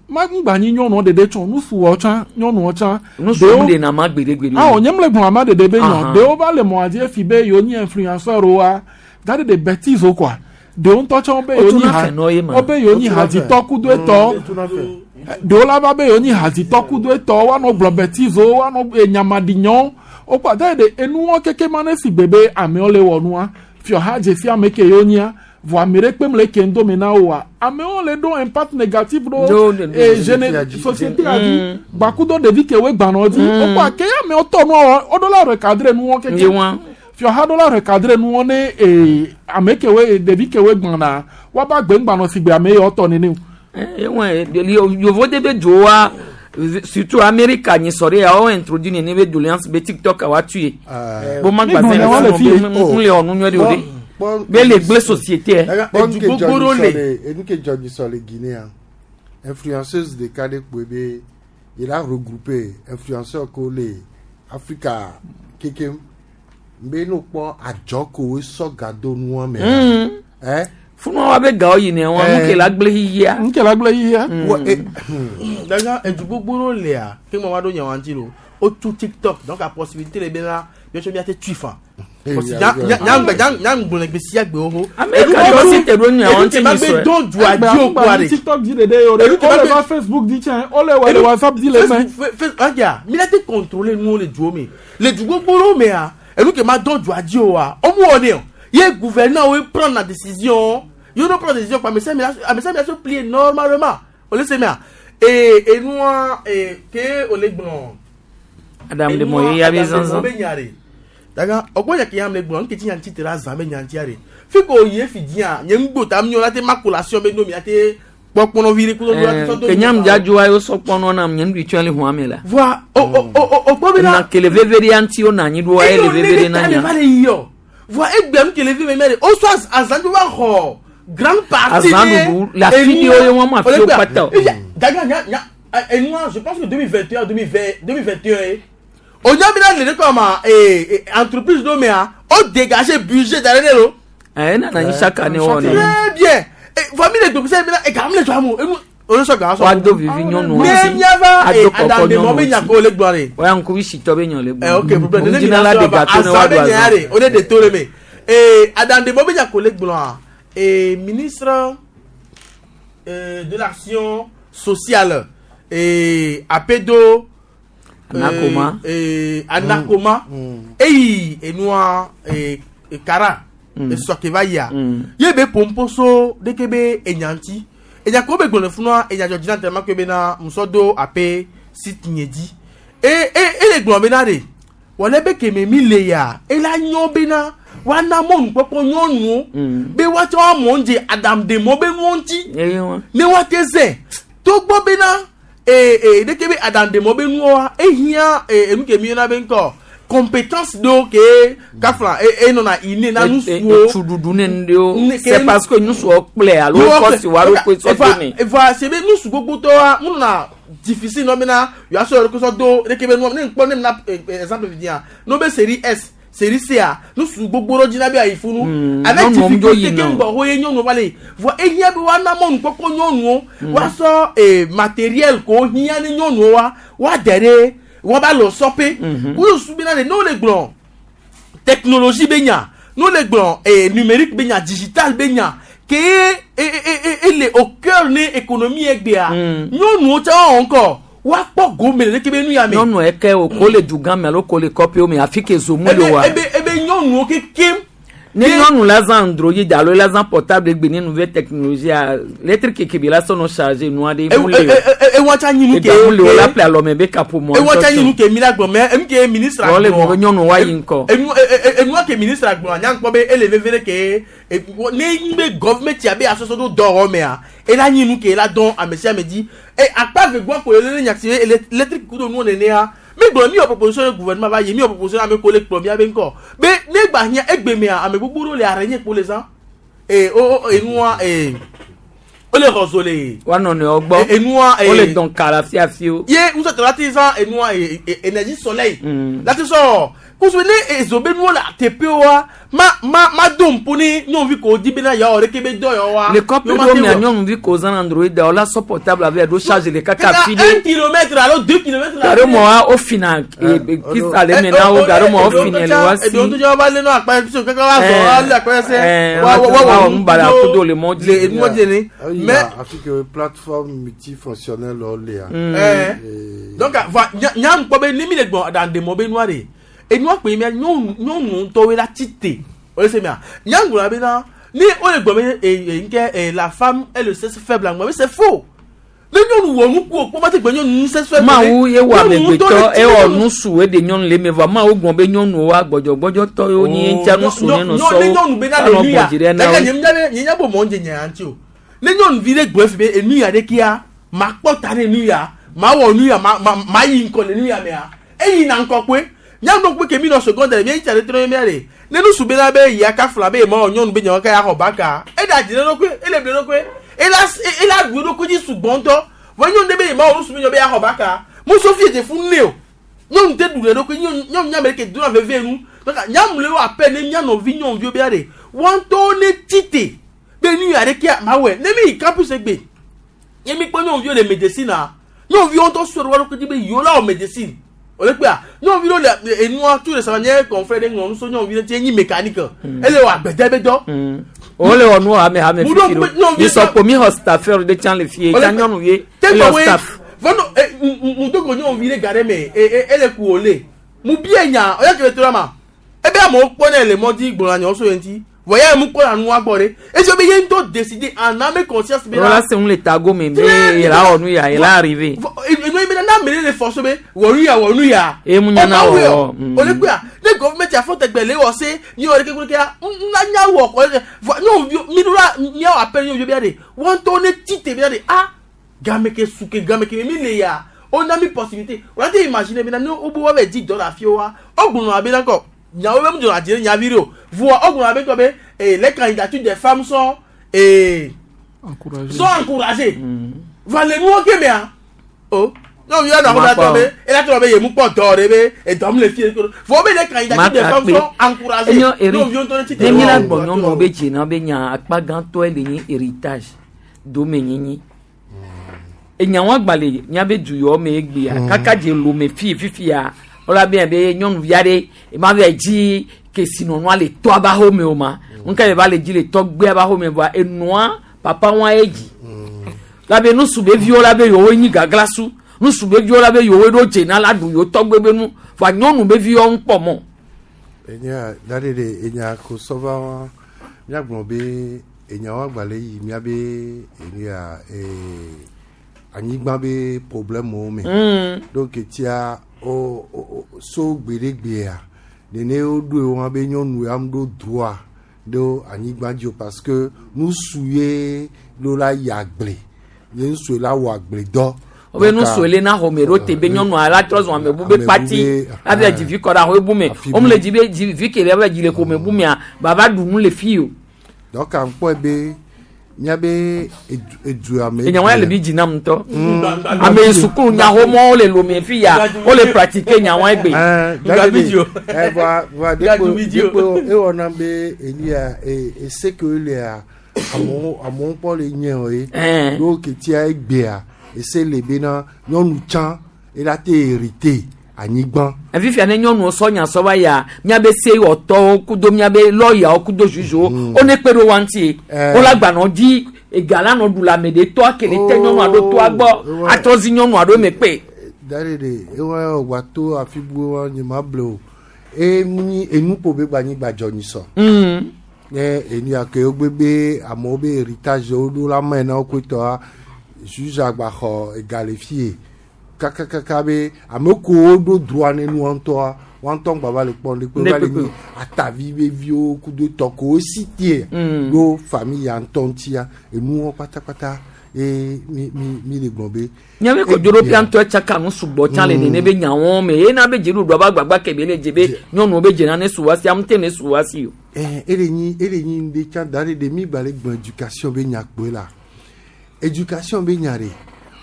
Speaker 20: magba nyi nyɔnuwo ɖeɖe tsɔ nusuwɔ tsã nyɔnuwo tsã.
Speaker 18: Nusuwo ɖe na ma gbeɖegbeɖe.
Speaker 20: Awɔ nye mle gblɔ ama ɖeɖe be nyɔ ɖewo va le mɔa dzi efi be yewo nyi influenceur wa da ɖe ɖe bêtise wo kɔa ɖewo ŋutɔ tsã wobe yewo nyi ha wobe yewo nyi hadzitɔ kudo etɔ ɖewo la va be yewo nyi hadzitɔ kudo etɔ woanɔ gblɔ bêtise wo woanɔ enyamaɖinyɔwo wokɔ da ɖe enuwo keke ma ne si gbe be amewo le wɔ nua fiɔha dze si ame ke yewo nyia vɔ ame ɖe kpem le ke ŋdome na woa amewo le ɖo impact négatif ɖo e jeune société a dzi gbakudo ɖevi kewoe gbanɔ dzi wokɔ ake amewo tɔ nuwo woɖo la recadrer nuwo keke fiɔha ɖo la recadrer nuwo ne ee ame kewoe ɖevi kewoe gbana woaba gbe ŋgbanɔ si gbe ame yawo tɔ nene o.
Speaker 18: Yovo de be dzoa surtout Amérique nyi sɔ ɖe yawo introduit nene be doléance be TikTok wa tue bo ma gba zɛn le funu be ŋu le wɔ nu nyuie ɖe o de. Be le gble société.
Speaker 19: Edu gbogbo ɖo le. Enu ke dzɔ nyi sɔ le Guinée influenceuse ɖeka ɖe kpoe be il a regroupé influenceur ko le Afrika kekem be no kpɔ adzɔ ko wo sɔ gado nua me.
Speaker 18: Funua wa be gawo yi ne wa nu ke la gble yiyia.
Speaker 20: Nu ke la gble yiyia.
Speaker 17: Daga edu gbogbo ɖo lea ke mo wa ɖo nyawa ŋuti lo o tu TikTok donc a possibilité le be na biɔtsɔ mi ate tui fa. Nyangbe gbe sia gbe wo.
Speaker 20: TikTok dzi ɖeɖe yo ɖe o le va Facebook dzi tsɛ o le wɔ le WhatsApp dzi le mɛ.
Speaker 17: Aja mi la te contrôler nuwo le duwo me le du gbogbo ɖewo mea enu ke ma dɔn dua dzi o wa wo mu wɔ ne o ye gouverneur wo prendre la décision ye wo prendre décision quoi amesa mi la se plier normalement. O le se mea ee enua ee ke o le gblɔ.
Speaker 18: Adam de mo ye ya be zanzan.
Speaker 17: Daga ɔgbɔn yɛ ke yam le gblɔ nketi yan ti tera zan be yan tia de fi ko ye fi diya nye ŋgbo ta mi la te makulation be nomi ate kpɔkpɔnɔvi ɖe kudo do ate sɔ do.
Speaker 18: Ke nyam dza wa yo sɔkpɔnɔ nam nye nuɖui tsɔ le hɔn me la.
Speaker 17: Voa o o o o kpɔ bena.
Speaker 18: Na kele veve ɖe ŋuti wo na anyi ɖoa ele veve ɖe na
Speaker 17: nya.
Speaker 18: nya.
Speaker 17: Le yiyɔ voa egbe nu kele vi me mɛ de o sɔ azan tó va xɔ grande partie.
Speaker 18: Azan ɖuɖu le afi ɖewo ye wɔn ma fi wo kpata o.
Speaker 17: Daga nya nya enua je pense que deux mille vingt et un deux mille vingt deux mille vingt et un ye onyamina le ɖe kɔ ma ee entreprise ɖo mea o dégager budget da ɖe ne lo.
Speaker 18: Ɛ nana anyi chaque année wɔ ne.
Speaker 17: Très bien famille de gbèsè mi na ega mi le tɔ amu enu o sɔ gan sɔ.
Speaker 18: Wa do vivi nyɔnuwo
Speaker 17: ne
Speaker 18: ŋuti.
Speaker 17: miava
Speaker 18: Ado kɔkɔ
Speaker 17: adamdemɔ
Speaker 18: nyɔnuwo
Speaker 17: be nya
Speaker 18: ŋuti.
Speaker 17: ko le gblɔ de.
Speaker 18: Wa ŋkuvi sitɔ be nyɔ le gblɔ.
Speaker 17: ɛ ok problème ne
Speaker 18: Ŋuti na la de gâteau ne wa
Speaker 17: azan
Speaker 18: ɖu
Speaker 17: be nya
Speaker 18: azan.
Speaker 17: de o ne de to le me ee adamdemɔ be nya ko le gblɔa ee ministre euh, de l'action sociale ee apedo.
Speaker 18: Anakoma.
Speaker 17: Ee anakoma eyi enua ee kara esɔke va yia ye be pomposo ɖeke be enya ŋuti enya ko be gblɔ le funua enya dzɔ dzi na tellement que bena musɔ do ape site nye dzi e e ele gblɔ bena de wɔle be keme mi le ya ela nyɔ bena woana mɔnukpɔkpɔ nyɔnuwo be woatsɔ woamɔ ŋdze aɖaŋudemɔ be nuwo ŋuti ne woate zɛ togbɔ bena ee ee ɖeke be aɖaŋudemɔ be nuwoa ehiã ee enu ke mi yɔna be ŋkɔ compétence ɖewo ke kafla e enɔna ine na nusuwo
Speaker 18: etsuɖuɖu ne nu ɖewo c'est parce que nusuwo kplɛ alo kɔsi wa ɖo koe sɔ do ne.
Speaker 17: Evoa se be nusu gbogbotɔa mu nɔna difficile nɔ bena yewoasɔ yewo sɔ do ɖeke be nua ne ŋkpɔ ne mina exemple vi dia no be série S série C a nusu gbogbo ɖewo dzina be ayi funu avec
Speaker 18: nyɔnuwo dzo
Speaker 17: difficulté
Speaker 18: yina.
Speaker 17: ke ŋgbɔ wo ye nyɔnuwo va le yi voa ehiã be woana mɔnukpɔkpɔ nyɔnuwo woasɔ ee matériel ko hiã ne nyɔnuwo wa woade ɖe woava lɔ sɔpe wosu bena de ne wole gblɔ technologie be nya ne wole gblɔ ee numérique be nya digital be nya ke e e e e le au cœur ne économie egbea nyɔnuwo tsa wɔn ŋkɔ woakpɔ gome le ɖeke be nu ya me.
Speaker 18: Nyɔnu eke o ko le dugã me alo ko le kɔƒewo me afi ke zomu le wa.
Speaker 17: ebe ebe nyɔnuwo kekem.
Speaker 18: Ne nyɔnu la zã android alo la zã portable gbe ne nouvelle technologie a lettre keke bi la sɔnɔ charger nua ɖe mu le o.
Speaker 17: Ewa tsa nyi nu ke
Speaker 18: Ega mu le o la ple alɔme be kaƒomɔ.
Speaker 17: Ewa tsa nyi nu ke mi la gblɔ mɛ enu ke ministre
Speaker 18: Wɔ le gblɔ be nyɔnu wa yi ŋkɔ.
Speaker 17: Enu e- e- enua ke ministre gblɔ nya ŋkpɔ be ele veve ɖe ke e- wɔ- ne nyi be gɔvmɛnti abe asɔsɔ do dɔwɔ mea ela nyi nu ke ela dɔn ame sia ame dzi e akpa ve gbɔ ko ele ne nyati ele électrique kudo nuwo nenea mi gblɔ mi wɔ proposition ne gouvernement va yi mi wɔ proposition ame ko le kplɔ mia be ŋkɔ be ne gba hiã egbe mea ame gbogbo ɖewo le araignée kpo le zã e o o enua e o le xɔ zo le.
Speaker 18: Wa nɔnɔewo gbɔ.
Speaker 17: Enua
Speaker 18: O le dɔn ka le afi afiwo.
Speaker 17: Ye ŋusɔtɔ la ti zã enua e e énergie soleil la ti sɔ kusu ne ezo be nuwo le teƒewoa ma ma ma do ŋpo ne nyɔnuvi ko di bena yawɔ ɖeke be dɔ yawoa.
Speaker 18: Le kɔƒe ɖewo mea nyɔnuvi ko zã android o la sɔ portable ave ɖo charge le kaka afi
Speaker 17: un
Speaker 18: ɖe.
Speaker 17: kilomètre alo deux kilomètres.
Speaker 18: Gaɖo mɔa wo fina kisa le me na wo gaɖo mɔa wo fina le wa si.
Speaker 17: Eɖewo ŋutɔ va lé nɔ akpa so kaka wa zɔ wa lé akpa sɛ.
Speaker 18: Eh,
Speaker 17: wa wa
Speaker 18: wa
Speaker 17: wa
Speaker 18: wɔ nu baɖa kudo le mɔ dzi.
Speaker 17: Le mɔ dzi ne.
Speaker 19: Mais Afrique plateforme multifonctionnelle o le ya.
Speaker 17: Eh. Donc va nya nya ŋkpɔ be ne mi le gbɔ aɖaŋudemɔ be nua de enua kpe mia nyɔnu nyɔnu ŋutɔwoe la tsi te o le se mia nya ŋgblɔ bena ne o le gbɔ be e e ŋkɛ e la femme est le sexe faible aŋgba be c'est faux ne nyɔnu wɔ nuku o kpɔ ma te gbe nyɔnu sexe faible.
Speaker 18: Mawu ye wɔ
Speaker 17: Nyɔnu ŋutɔ
Speaker 18: amegbetɔ
Speaker 17: le tsi
Speaker 18: ewɔ
Speaker 17: nyɔnu-
Speaker 18: nusu eɖe nyɔnu le eme vɔa mawu gblɔ be nyɔnuwo wa gbɔdzɔgbɔdzɔtɔ yewo nyi ŋutia nusu ne nɔ
Speaker 17: ne
Speaker 18: sɔwo
Speaker 17: nyɔnu bena le
Speaker 18: anɔ
Speaker 17: nu ya
Speaker 18: gbɔ dzi ɖe na
Speaker 17: gake
Speaker 18: wo.
Speaker 17: nye nya be nye nya be mɔ ŋdze nya ya ŋuti o ne nyɔnuvi ɖe gblɔ fi be enu ya ɖe kia ma kpɔ ta ne nu ya ma wɔ nu ya ma ma ma yi ŋkɔ le nu ya mea eyi na ŋkɔ kpoe nyanu kpe ke mi nɔ secondaire mi tsa ɖe trɔ mia de ne nusu bena be yia kafla be ma wɔ nyɔnu be nyawo ka ya xɔ baka eɖe adzi ɖe ɖokui ele ble ɖokui ela ela ɖu eɖokui dzi sugbɔ ŋutɔ vɔ nyɔnu ɖe be ma wɔ nusu be nyɔ be ya xɔ baka muso fi dze funu ne o nyɔnu te ɖu ɖe ɖokui nyɔnu nyɔnu nyame ɖe ke dona veve nu donc nyamle wo ape ne mia nɔvi nyɔnuviwo be ya de wɔn ŋutɔwo ne tsi te be nu ya ɖe kia ma wɔe ne mi yi campus egbe ye mi kpɔ nyɔnuviwo le médecine a nyɔnuviwo ŋutɔ sɔ ɖe wo ɖokui dzi be yewo la wɔ médecine o le kpea nyɔnuvi ɖewo le enua tu le sama nye confrère ɖe ŋlɔ nu so nyɔnuvi ɖe tse nyi mécanique ele wɔ agbede be dɔ
Speaker 18: O le wɔ nu hame hame
Speaker 17: Mu ɖo
Speaker 18: fifi
Speaker 17: ŋku-
Speaker 18: ɖo.
Speaker 17: nyɔnuvi
Speaker 18: Mi sɔ kpo mi xɔ staffeur ɖe tsã le fie
Speaker 17: O le
Speaker 18: tsã
Speaker 17: kpe-
Speaker 18: nyɔnuvie
Speaker 17: te
Speaker 18: ele wɔ
Speaker 17: gbɔ
Speaker 18: staff.
Speaker 17: vɔnɔ ŋudogo nyɔnuvi ɖe ga ɖe me e e ele ku wòle mu bie nya ɔyɔ kele to la ma ebe amewo kpɔ ne le mɔ dzi gblɔna nyawo so ye ŋuti Voyez mu ko la nu agbo re. Et je be ye ŋutɔ décider en âme et conscience be
Speaker 18: Wala se ŋu le tago me be yɛlɛ awɔ nu ya yɛlɛ arrivé.
Speaker 17: Enu yi be na mele le force be wɔ nu ya wɔ nu ya.
Speaker 18: E mu nya na wɔ.
Speaker 17: O le kpe ne government ya fɔ tɛgbɛ le wɔ se ni wɔ de kekeke ya na nya wɔ kɔ nyɔnuvi mi do la miawɔ appel nyɔnuvi bia de wɔn tɔ ne ti te bia de ah game ke su ke game ke mi le ya o na mi possibilité o la te imaginer bena ne o bo wa bɛ di dɔ la fi wa o gbɔnɔ a bɛ na kɔ nyawo bɛ mu jɔ la jɛ nyavi de o voa o gbɔnɔ a bɛ kɔ bɛ eh les candidatures des femmes sont eh
Speaker 20: Encouragé.
Speaker 17: sont encouragées va le nuwo ke mea o nyɔnuvi ya nɔ akɔ tɔ be ela tɔ be yemu kpɔ dɔ de be edɔm le fie vɔ be les candidatures des femmes sont encouragées
Speaker 18: Enyo Eric,
Speaker 17: nyɔnuviwo ŋutɔ ne ti te
Speaker 18: ne mi la gbɔ nyɔnuwo be dzena be nya akpa gãtɔe le nye héritage domenyinyi. Enyawo agba le miabe du yawo me egbea
Speaker 19: Mm.
Speaker 18: kaka dze lome fi fifia wola be be nyɔnuvi aɖe ema va dzi kesinɔnua le tɔa ba xɔme o ma ŋka va le dzi le tɔgbea ba xɔme voa enɔa papa wa ye dzi la be nusu be viwo la be yewo nyi gaglasu nusu be viwo la be yewo ɖo dzena la ɖu yewo tɔgbe be nu voa nyɔnu be viwo ŋu kpɔ mɔ.
Speaker 19: Enya da ɖe ɖe enya ko sɔva wa míagblɔ be enyawo agbalẽ yi míabe enu ya ee anyigba be problème me.
Speaker 18: Mm.
Speaker 19: Donc etia o o o so gbeɖegbea nene woɖoe wɔn be nyɔnu ya ɖo droit ɖo anyigba dzi o parce que nusu ye ɖo la yi agble ye nusu la wɔ agble dɔ.
Speaker 18: wobe nusu le na xɔme ɖo te be nyɔnua la trɔ zɔn ame bu be kpati la vɛ dzi vi kɔ ɖe axɔe bu me wome le dzi be dzi vi ke le va dzi le xɔme bu mea baba ɖu nu le fi o.
Speaker 19: Donc à ŋkpɔe be míabe edu edua me.
Speaker 18: Enyawo ya le bi dzi nam ŋutɔ.
Speaker 19: Mm.
Speaker 18: Ame yi sukulu nyaxɔmɔwo le lome fi ya wole pratique nyawo egbe.
Speaker 19: Eh, voa voa dekpo dekpo ewɔna be enu ya e ese ke wolea amewo amewo kpɔ le nye o ye.
Speaker 18: Eh.
Speaker 19: Ɖo ketia egbea ese le bena nyɔnu tsã ela te hérité anyigba.
Speaker 18: Fifia ne nyɔnuwo sɔ nya sɔ va ya miabe sewɔtɔwo kudo miabe lɔyawo kudo zuzuwo wo ne kpe ɖo wa ŋuti
Speaker 19: Eh.
Speaker 18: wo la gbanɔ dzi ega la nɔ ɖu le ame ɖe tɔa ke le te nyɔnua ɖo toa gbɔ atrɔ zi nyɔnua ɖo eme kpe.
Speaker 19: Da ɖe ɖe ewɔ wɔ to afi bu wa nye ma ble o e nyi enuƒo be gba anyigba dzɔ nyi sɔ.
Speaker 18: Mm.
Speaker 19: Ne enu ya ke wogbe be amewo be héritage woɖo la me na woƒe tɔa juge agba xɔ ega le fie kakakaka be ame kowo ɖo droit ne nua ŋutɔa woa ŋutɔ ŋgba va le kpɔm ɖe kpe
Speaker 18: Ne
Speaker 19: va le
Speaker 18: kpekpe.
Speaker 19: nyi atavi be viwo kudo tɔ kowo si tie
Speaker 18: Mm.
Speaker 19: ɖo famille ya ŋutɔ ŋutia enuwo kpatakpata ye mi mi mi le gblɔ be.
Speaker 18: Miabe kodzoɖoƒea ŋutɔ tsaka nu sugbɔ tsã le
Speaker 19: Mm.
Speaker 18: nene be nyawo me ye na be dziɖuɖua ba gbagba ke be le dze be nyɔnuwo be dzena ne su wa si ame te ne su wa si o.
Speaker 19: Eh, ele nyi ele nyi ŋɖe tsã da ɖe ɖe mi gba le gblɔ éducation be nya kpoe la éducation be nya ɖe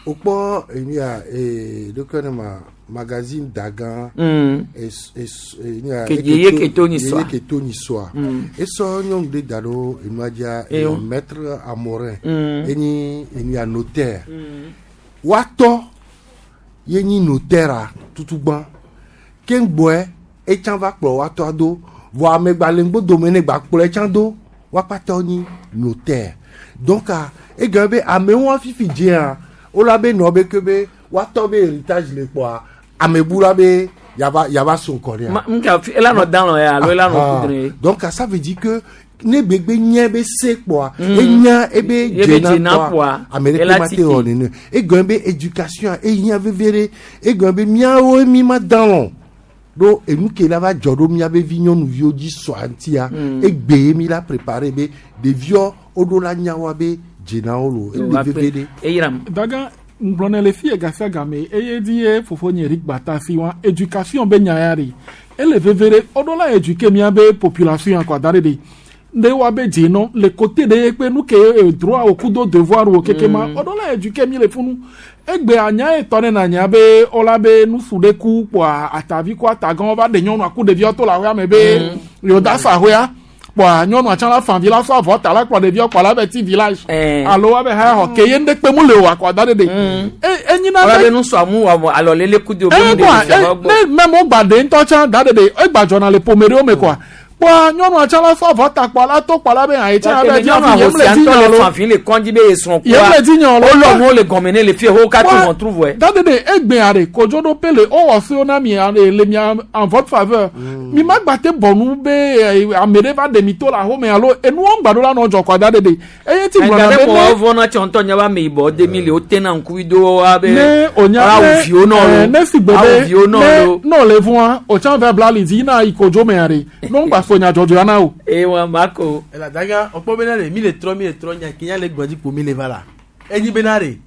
Speaker 19: wokpɔ enu ya ee ɖokɔ ne ma magazine dagã
Speaker 18: Mm.
Speaker 19: es es enu ya
Speaker 18: Ke yeye ke to nyi sɔa.
Speaker 19: yeye ke to nyi sɔa
Speaker 18: Mm.
Speaker 19: esɔ nyɔnu ɖe da ɖo enua dzia
Speaker 18: Eyo.
Speaker 19: eh, maître Amorin
Speaker 18: Mm.
Speaker 19: enyi enu ya notaire woatɔ ye nyi notaire a tutugbã keŋgbɔe etsã va kplɔ woatɔa do vɔ amegbalẽgbodome ne gba kplɔ etsã do woakpata nyi notaire donc a egɔme be amewo fifi dzea wola be nɔ be ke be woatɔ be héritage le kpɔa amebula be yava yava so ŋkɔ nea.
Speaker 18: Ma- nka fi- ela nɔ dan lɔ ya alo ela nɔ
Speaker 19: Ah,
Speaker 18: kudre.
Speaker 19: donc ça veut dire que ne gbegbe nye be se kpɔa
Speaker 18: Mm.
Speaker 19: enya ebe
Speaker 18: Ebe
Speaker 19: dzena
Speaker 18: dzena
Speaker 19: kpɔa
Speaker 18: kpɔa,
Speaker 19: ame ɖeke
Speaker 18: ela
Speaker 19: ma te
Speaker 18: titi.
Speaker 19: wɔ nene egɔme be éducation ehiã vevie ɖe egɔme be míawo mi ma dan lɔ ɖo enu ke la va dzɔ ɖo míabe vi nyɔnuviwo dzi sɔa ŋutia
Speaker 18: Mm.
Speaker 19: egbe ye mi la préparé be ɖeviɔ woɖo la nya wa be dzenawo lo ele vevie ɖe.
Speaker 18: Eyiram.
Speaker 20: Daga ŋgblɔnɛ le fie gasia game eye di ye fofonye Eric Batasi wa éducation be nya ya ɖe ele veve ɖe woɖo la éduquer miabe population ya kɔ da ɖe ɖe ɖe wa be dzenɔ le côté ɖe ye kpe nu ke eh, droit wo kudo devoir wo keke ma
Speaker 18: Mm.
Speaker 20: woɖo la éduquer mi le funu egbe anya ye tɔ ne na nya be wola be nusu ɖe ku kpoa atavi ku atagãwo va ɖe nyɔnua ku ɖeviwo to le aƒea me be yewo da sa aƒea kpoa nyɔnua tsã la fa vi la sɔ avɔ ta la kplɔ ɖeviwo kplɔ la be ti village alo wa be ha xɔ ke ye ŋɖe kpe mu le o akɔ da ɖe ɖe e enyina
Speaker 18: Wala be nusua mu wɔ alɔlele kudo be
Speaker 20: e
Speaker 18: mu
Speaker 20: kɔa
Speaker 18: ɖe fia
Speaker 20: e
Speaker 18: gbɔ.
Speaker 20: ne mɛmɔ gba ɖe ŋutɔ tsã da ɖe ɖe egba dzɔna le ƒome ɖewo me kɔa Kpɔa nyɔnua tsã la sɔ avɔ ta kpɔ la to kpɔ la be ayi tsã be
Speaker 18: nyɔnu
Speaker 20: dzi
Speaker 18: ahosi
Speaker 20: yem le
Speaker 18: ŋutɔ le
Speaker 20: dzi
Speaker 18: fanfin le kɔndzi be esrɔ̃
Speaker 20: Yem le dzi nyɔ lo.
Speaker 18: Wolɔ nuwo le gɔme ne le fie wo katã wɔn tru vɔe.
Speaker 20: Dade de egbea de kodzoɖoƒe le wowɔ sewo na mi eh, le mia en votre faveur. Mi ma gba te bɔ nu be eh, ame ɖe va ɖe mi to le axome alo enuwo ŋgba ɖo la nɔ dzɔ kɔa dade de. Eye ti gblɔna
Speaker 18: Ɛga
Speaker 20: be
Speaker 18: ɖe mɔ
Speaker 20: ne
Speaker 18: vɔ na tsɔ ŋutɔ nye be ame yibɔ de mi le wo tena ŋkuvi do wa be
Speaker 20: ne o nya
Speaker 18: awu
Speaker 20: ne
Speaker 18: viwo nɔ
Speaker 20: eh,
Speaker 18: lo
Speaker 20: ne si gbe
Speaker 18: awu
Speaker 20: be
Speaker 18: viwo nɔ
Speaker 20: ne
Speaker 18: lo.
Speaker 20: ne o le vɔa o tsã va bla li dzi yina yi kodzo mea de ne ŋgba fo nya dzɔdzɔa na o.
Speaker 18: Eye wa ma ko.
Speaker 17: Ela daga ọkpọ bena de mi le trɔ mi le trɔ nya kenya le gbɔdzi kpo mi le va la enyi bena de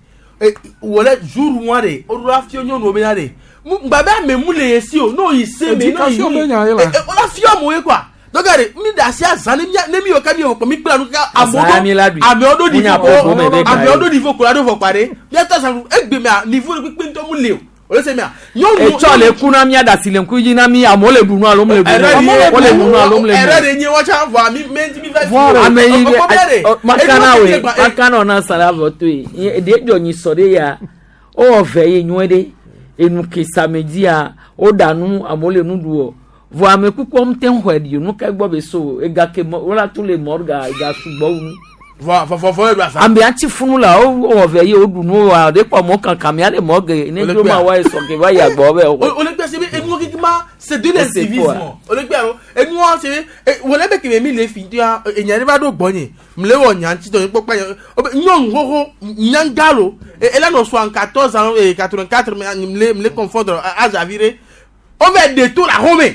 Speaker 17: e wòle jour wa de o do la fio nyɔnuwo bena de mu gba be ame mu le ye si o n'o yi se me n'o yi
Speaker 20: Éducation be nya ye la.
Speaker 17: e o la fio amewo ye quoi donc de mi da asi azã ne mia ne mi yɔ ka mi yɔ kpɔ mi kpla nu kaka amewo
Speaker 18: Azã mi la
Speaker 17: ɖo
Speaker 18: ɖui.
Speaker 17: amewo ɖo
Speaker 18: Mu nya
Speaker 17: niveau
Speaker 18: ƒoƒo me be ga
Speaker 17: amewo
Speaker 18: ye.
Speaker 17: ɖo niveau ko la ɖo vɔ kpa de miata azã egbe mea niveau de kpekpe ŋutɔ mu le o o le se mea nyɔnu
Speaker 18: Etsɔ le ku na mía ɖasi le ŋkuvi dzi na mí amewo le ɖu nu alo mele ɖu nu o. Wole ɖu nu alo mele
Speaker 17: ɛrɛ
Speaker 18: ɖu
Speaker 17: de nye wɔtsa vɔa mi mi mi va
Speaker 18: nu. Ame yi
Speaker 17: ɔkpɔ bia de
Speaker 18: makana we makana na sa la vɔ to ye ɖe dzɔ nyi sɔ ɖe ya wowɔ vɛ ye nyuie ɖe enu ke samedia woɖa nu amewo le nu ɖu o vɔ ame kukuwo ŋute xɔe ɖi o nu ka gbɔ be so ega ke mɔ wola tu le mɔrga ega sugbɔ wu nu.
Speaker 17: vɔ vɔ vɔ eɖu asa.
Speaker 18: ame atsi funu la wo wɔ vɛ ye woɖu nu wa ɖe kpɔ mɔ kankan mia ɖe mɔ ge ne
Speaker 17: Wole
Speaker 18: dzo ma
Speaker 17: kpea.
Speaker 18: wa esɔ ke va yi agbɔ bɛ
Speaker 17: o o le gbɛ se be enuwo kiki ma c'est de
Speaker 18: Ese
Speaker 17: l'incivisme
Speaker 18: quoi?
Speaker 17: o le gbɛ alo enuwo se be e wòle be keme mi le fi tia enya ɖe va ɖo gbɔnye mle wɔ nya ŋuti tɔ kpɔkpɔ nye o be nyɔnu xoxo nyanga lo e ela nɔ soixante quatorze ans et quatre vingt quatre mle mle confondre azavi ɖe o vɛ de to la xɔme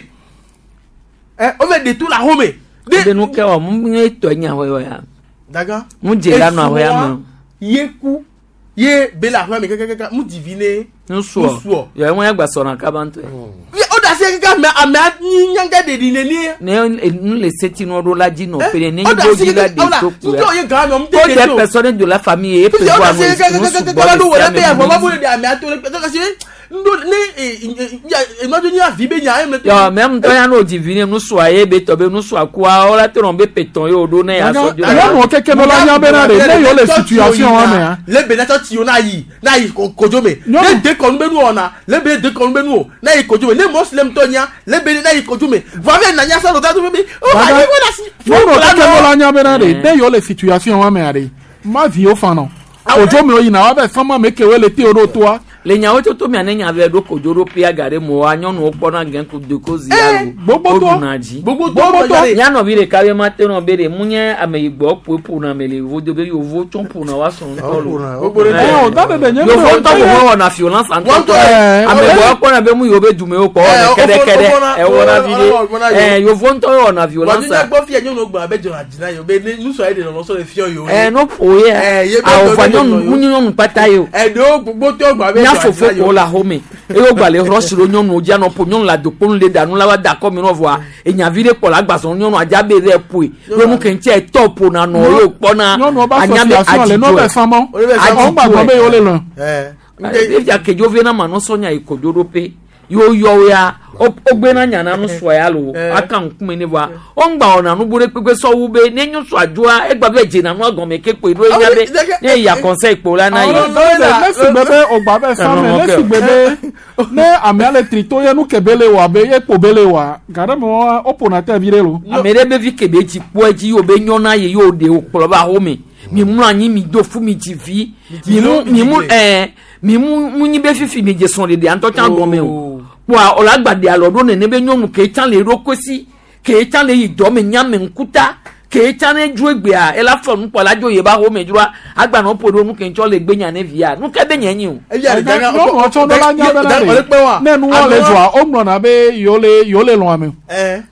Speaker 17: ɛ o vɛ de to la xɔme
Speaker 18: de nu ke wɔ mu nye tɔ nya wɔ ya
Speaker 17: daga
Speaker 18: mu dze la nɔ awɔ ya me
Speaker 17: yeku ye be le aƒea me kɛkɛkɛ mu divi ne
Speaker 18: nusuɔ
Speaker 17: nusuɔ
Speaker 18: yɔ ŋu ya gba sɔrɔ kaba ŋutɔ
Speaker 17: o da se kaka ame amea nyi nyanga ɖeɖi nenie.
Speaker 18: ne nu le seti nu ɖo la dzi nɔ pe ne
Speaker 17: o da
Speaker 18: nyi
Speaker 17: se
Speaker 18: dzi la
Speaker 17: kaka
Speaker 18: de
Speaker 17: ɔla
Speaker 18: to
Speaker 17: ŋutɔ ye gã mɛ
Speaker 18: ko
Speaker 17: ɔmu
Speaker 18: des personnes de la famille e
Speaker 17: Fifia o
Speaker 18: prévoir
Speaker 17: da se
Speaker 18: nu
Speaker 17: kaka
Speaker 18: sugbɔ
Speaker 17: kaka ɖo wòle
Speaker 18: le
Speaker 17: be
Speaker 18: sia
Speaker 17: avɔ
Speaker 18: me
Speaker 17: va bo le de amea to le kpɛ kasi ŋdo ne enɔdzo nyi avi be nya eme.
Speaker 18: yɔ mɛ ŋutɔ ya n'o dzi vi ne nusua ye be tɔ be nusua kua wola te nɔ be petɔn ye o ɖo ne ya sɔ dzo la
Speaker 20: Nyɔnuwo keke no la nya bena de ne yewo le situation wa mea.
Speaker 17: lebe na tsɔtsi wo na yi na yi ko- kodzo me ne dekɔnu be nu wɔna lebe dekɔnu be nu o na yi kodzo me ne mɔsilɛm tɔ nya lebe na yi kodzo me vɔ afi na nya sɔ lɔta to be o
Speaker 20: Dada,
Speaker 17: ayi wo la si.
Speaker 20: nyɔnuwo keke no la nya bena de ne yewo le situation wa mea de ma viwo fa nɔ kodzo me wo yina wa bɛ fama me ke wo le te wo ɖo toa.
Speaker 18: le nyawo toto mia ne nya vɛ ɖo kodzo ɖo pia ga ɖe mo wa nyɔnuwo kpɔna gɛn ku doko zi alo
Speaker 20: gbogbotɔ.
Speaker 18: woɖuna dzi
Speaker 17: Gbogbotɔ.
Speaker 18: nyanɔvi ɖeka be ma te nɔ be ɖe mu nye ame yigbɔ ƒoe ƒona me le yevo do be yevo tsɔ ƒona wa srɔ̃ ŋutɔ lo
Speaker 20: Ɛ, o da de de nye
Speaker 18: yevo
Speaker 20: ŋutɔ
Speaker 18: ŋutɔ
Speaker 20: ye-
Speaker 18: ko wɔna violence ŋutɔ
Speaker 20: Ɛ,
Speaker 18: ame gbɔ kpɔna be mu yewo be dumewo kpɔ wɔna kɛɖɛkɛɖɛ ɛwɔna vi ɖe ɛ yevo ŋutɔ wɔna violence
Speaker 17: Wàdúnyà gbọ́ fíà nyɔnu gbɔ abe dzɔna dzina yi o be ne nusɔ ye de nɔnɔ sɔ le fiɔ yi o.
Speaker 18: ɛ no ƒo ye
Speaker 17: Ɛ, ye be
Speaker 18: awɔfa
Speaker 17: dɔ be
Speaker 18: nyɔnu
Speaker 17: nɔ
Speaker 18: mu nye nyɔnu kpata ye o
Speaker 17: Ɛɖewo gbogbotɔ gbɔ abe
Speaker 18: nya
Speaker 17: dzɔna
Speaker 18: fofo
Speaker 17: dzina yi
Speaker 18: ko
Speaker 17: o.
Speaker 18: le axome eye wogba le rɔsi ɖo nyɔnuwo dzi anɔ ƒo nyɔnu le adokponu le ɖa nu la va da akɔ mi nɔ vɔa enyavi ɖe kpɔ le agbazɔ nyɔnu adza be ɖe ƒoe ɖo nu ke ŋuti etɔ ƒona nɔ ye wokpɔna
Speaker 20: Nyɔnuwo ba
Speaker 18: anya be
Speaker 20: association le n'o bɛ
Speaker 18: adzidzɔe
Speaker 20: fama. Ɔn gba gbɔ be yewo le lɔn.
Speaker 18: efia kedzo ve na ma nusɔnya yi kodzo ɖo pe yewo yɔ wo ya wo- wogbena nya na nusua ya lo aka ŋkume ne vɔa wongba wɔna nubu ɖe kpekpe sɔwu be ne nyɔsua dzoa egba be dzena nua gɔme ke kpoe ɖo enya be ne ya conseil kpo la na yi.
Speaker 20: Ne si gbe be o gba bɛ fan mɛ ne si gbe be ne amea le trito ye nu ke be le wa be ye kpo be le wa ga ɖe me wa wo ƒona te vi ɖe lo.
Speaker 18: ame ɖe be vi ke be dzi kpɔ edzi ye wo be nyɔna ye ye wo ɖe wo kplɔ va xɔme mi mlɔ anyi mi do fu mi dzi vi mi mu mi mu ɛɛ mi mu mu nyi be fifi mi dze srɔ̃ ɖeɖe ŋutɔ tsã gɔme o kpoa o la gba ɖe alɔ ɖo nene be nyɔnu ke tsã le eɖokui si ke tsã le yi dɔ me nyame ŋkuta ke tsã ne dzo egbea ela fɔ nukpɔ la dzo ye ba xɔme dzroa agbanɔ ƒo ɖo nu ke ŋtsɔ le gbe nya ne via nu ke be nye nyi o.
Speaker 20: Nyɔnuwo tsɔ ne la nya bena de ne nuwɔ le dzɔa wo ŋlɔna be yewo le yewo le lɔn ame o.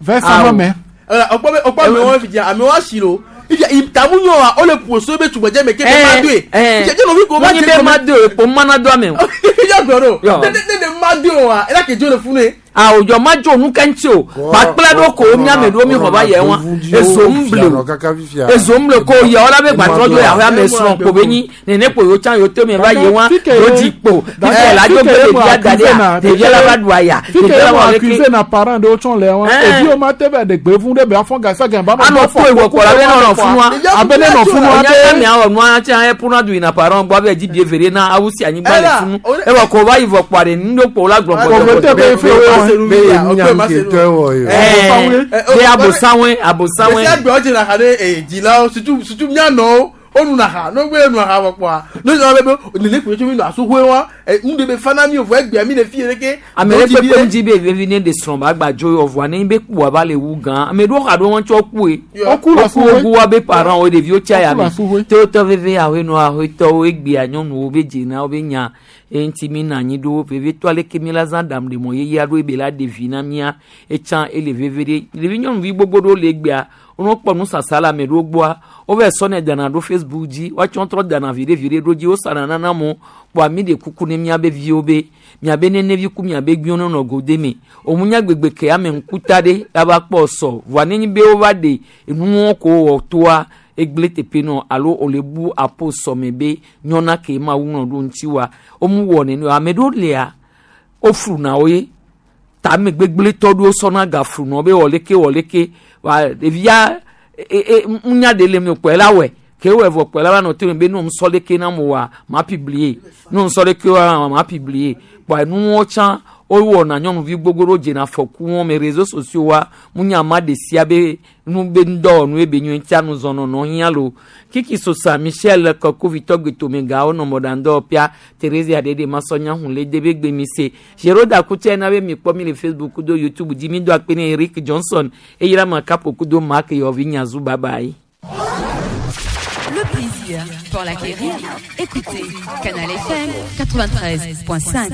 Speaker 20: Vɛ sama mɛ.
Speaker 17: Ɔkpɔ be ɔkpɔ amewo fi dzi amewo asi lo ifi tamu nyɔ wa o le ƒo so be tugbedze me ke be ma doe. Ifi dze nɔvi ko ma
Speaker 18: Munyi be ma doe kpo mana do ame o.
Speaker 17: Ifi gblɔ ɖo
Speaker 18: Yɔ.
Speaker 17: ne ne ne ma doe wa ela ke dzo le funu ye.
Speaker 18: àwùjọ má jò nu kẹ́ńtì o gbàkpla ɖo ko miame ɖo mi xɔ va yɛ wa ezo ń ble o ezo ń ble ko yɛ wala be gbàtrɔ dzo yàwó ame srɔ̃ ko be nyi nene kpo yóò tsã yóò tó mi va yɛ wa yóò di kpo fífẹ́ la dzo gbé ɖevia da ɖe ya ɖevia la va ɖu aya
Speaker 20: Fike
Speaker 18: ɖevia
Speaker 20: ye
Speaker 18: la
Speaker 20: mo
Speaker 18: va leke
Speaker 20: accuse na parent ɖewo tsɔ le wa
Speaker 18: Ɛn.
Speaker 20: eviwo ma te vɛ ɖe gbe fún ɖe be afɔ gasa gɛn ba
Speaker 18: anɔ fo ewɔ kpɔ la be nɔnɔ funua
Speaker 20: abe ne nɔ funua
Speaker 18: be
Speaker 20: be
Speaker 18: mi awɔ nua tsã epuna du yina parent gbɔ abe dzi bie vere na awu si anyigba le funu ewɔ ko va yi vɔ kpɔ ɖe nu ɖo kpo la gblɔ
Speaker 20: Pauvreté be fe wo
Speaker 18: Be abosanwe abosanwe.
Speaker 17: Esi agbe ɔdze na ha ɖe ee dzilawo surtout surtout mianɔwo wonu na ha no gbe nu ha wɔ kpɔa no zɔ be be nene kpe tso mi nɔ asuƒe wa ɛ nu de be fana mi o vɔ egbea mi le fi yɛ ke.
Speaker 18: Ame ɖe kpekpe ŋuti be vevi ne de srɔ̃ ba gba dzo yɔ vɔa ne be kpua ba le wu gã ame ɖewo xa ɖo wɔn tsɔ kue
Speaker 20: Woku le
Speaker 18: woku
Speaker 20: asuƒe.
Speaker 18: woku wa be parents wo ɖeviwo tsa ya
Speaker 20: Woku le
Speaker 18: me
Speaker 20: asuƒe.
Speaker 18: tewotɔ veve ahoenɔ ahoetɔwo egbea nyɔnuwo be dzena wo be nya eŋuti mi na anyi ɖo vevitɔ aleke mi la zã ɖam ɖemɔ yeye aɖo ebe la ɖe vi na mía etsã ele veve ɖe ɖevi nyɔnuvi gbogbo ɖewo le egbea wonɔ kpɔ nusasa le ame ɖewo gbɔa wova sɔnɛ dana ɖo facebook dzi woatsɔ trɔ dana viɖe viɖe ɖo dzi wosana nana mo kpɔa mi ɖe kuku ne miabe viwo be miabe nenevi ku miabe gbiwo ne nɔ go de me òmu nya gbegbe ke ame ŋkuta ɖe ava kpɔ sɔ voa nenye be wova ɖe enuwo ko wɔ toa egble teƒe nɔ alo wòle bu apo sɔme be nyɔna ke ma wu nɔ ɖo ŋuti wa womu wɔ nene o ame ɖewo lia wofluna wo ye tame gbegblẽtɔ ɖewo sɔna gaflu nɔ be wɔleke wɔleke wa ɖevia e e ŋunya ɖe le mi kpɔe la wɔe ke wɔ vɔ kpɔe la va nɔ to me be ne ŋusɔ leke na mo wa ma publier ne ŋusɔ leke wa ma publier kpɔe nuwo tsã wowɔna nyɔnuvi gbogbo ɖewo dzena afɔku wɔn me réseaux sociaux wa ŋunya ma ɖe sia be nu be ŋdɔwɔnu ebe nyui tia nu zɔnɔnɔ hiã lo kiki sosa michel kɔkovitɔ gbetomegawo nɔ mɔɖaŋdɔwɔƒea Thérésia ɖeɖe masɔnya hun le de be gbemi se Géroda kutse na be mi kpɔ mi le Facebook kudo YouTube dzi mi do akpe ne Eric Johnson eyira ma kapo kudo Mark Yɔvi Nyazu bye bye.
Speaker 21: Le plaisir pour l'acquérir. Écoutez Canal F M quatre-vingt-treize point cinq.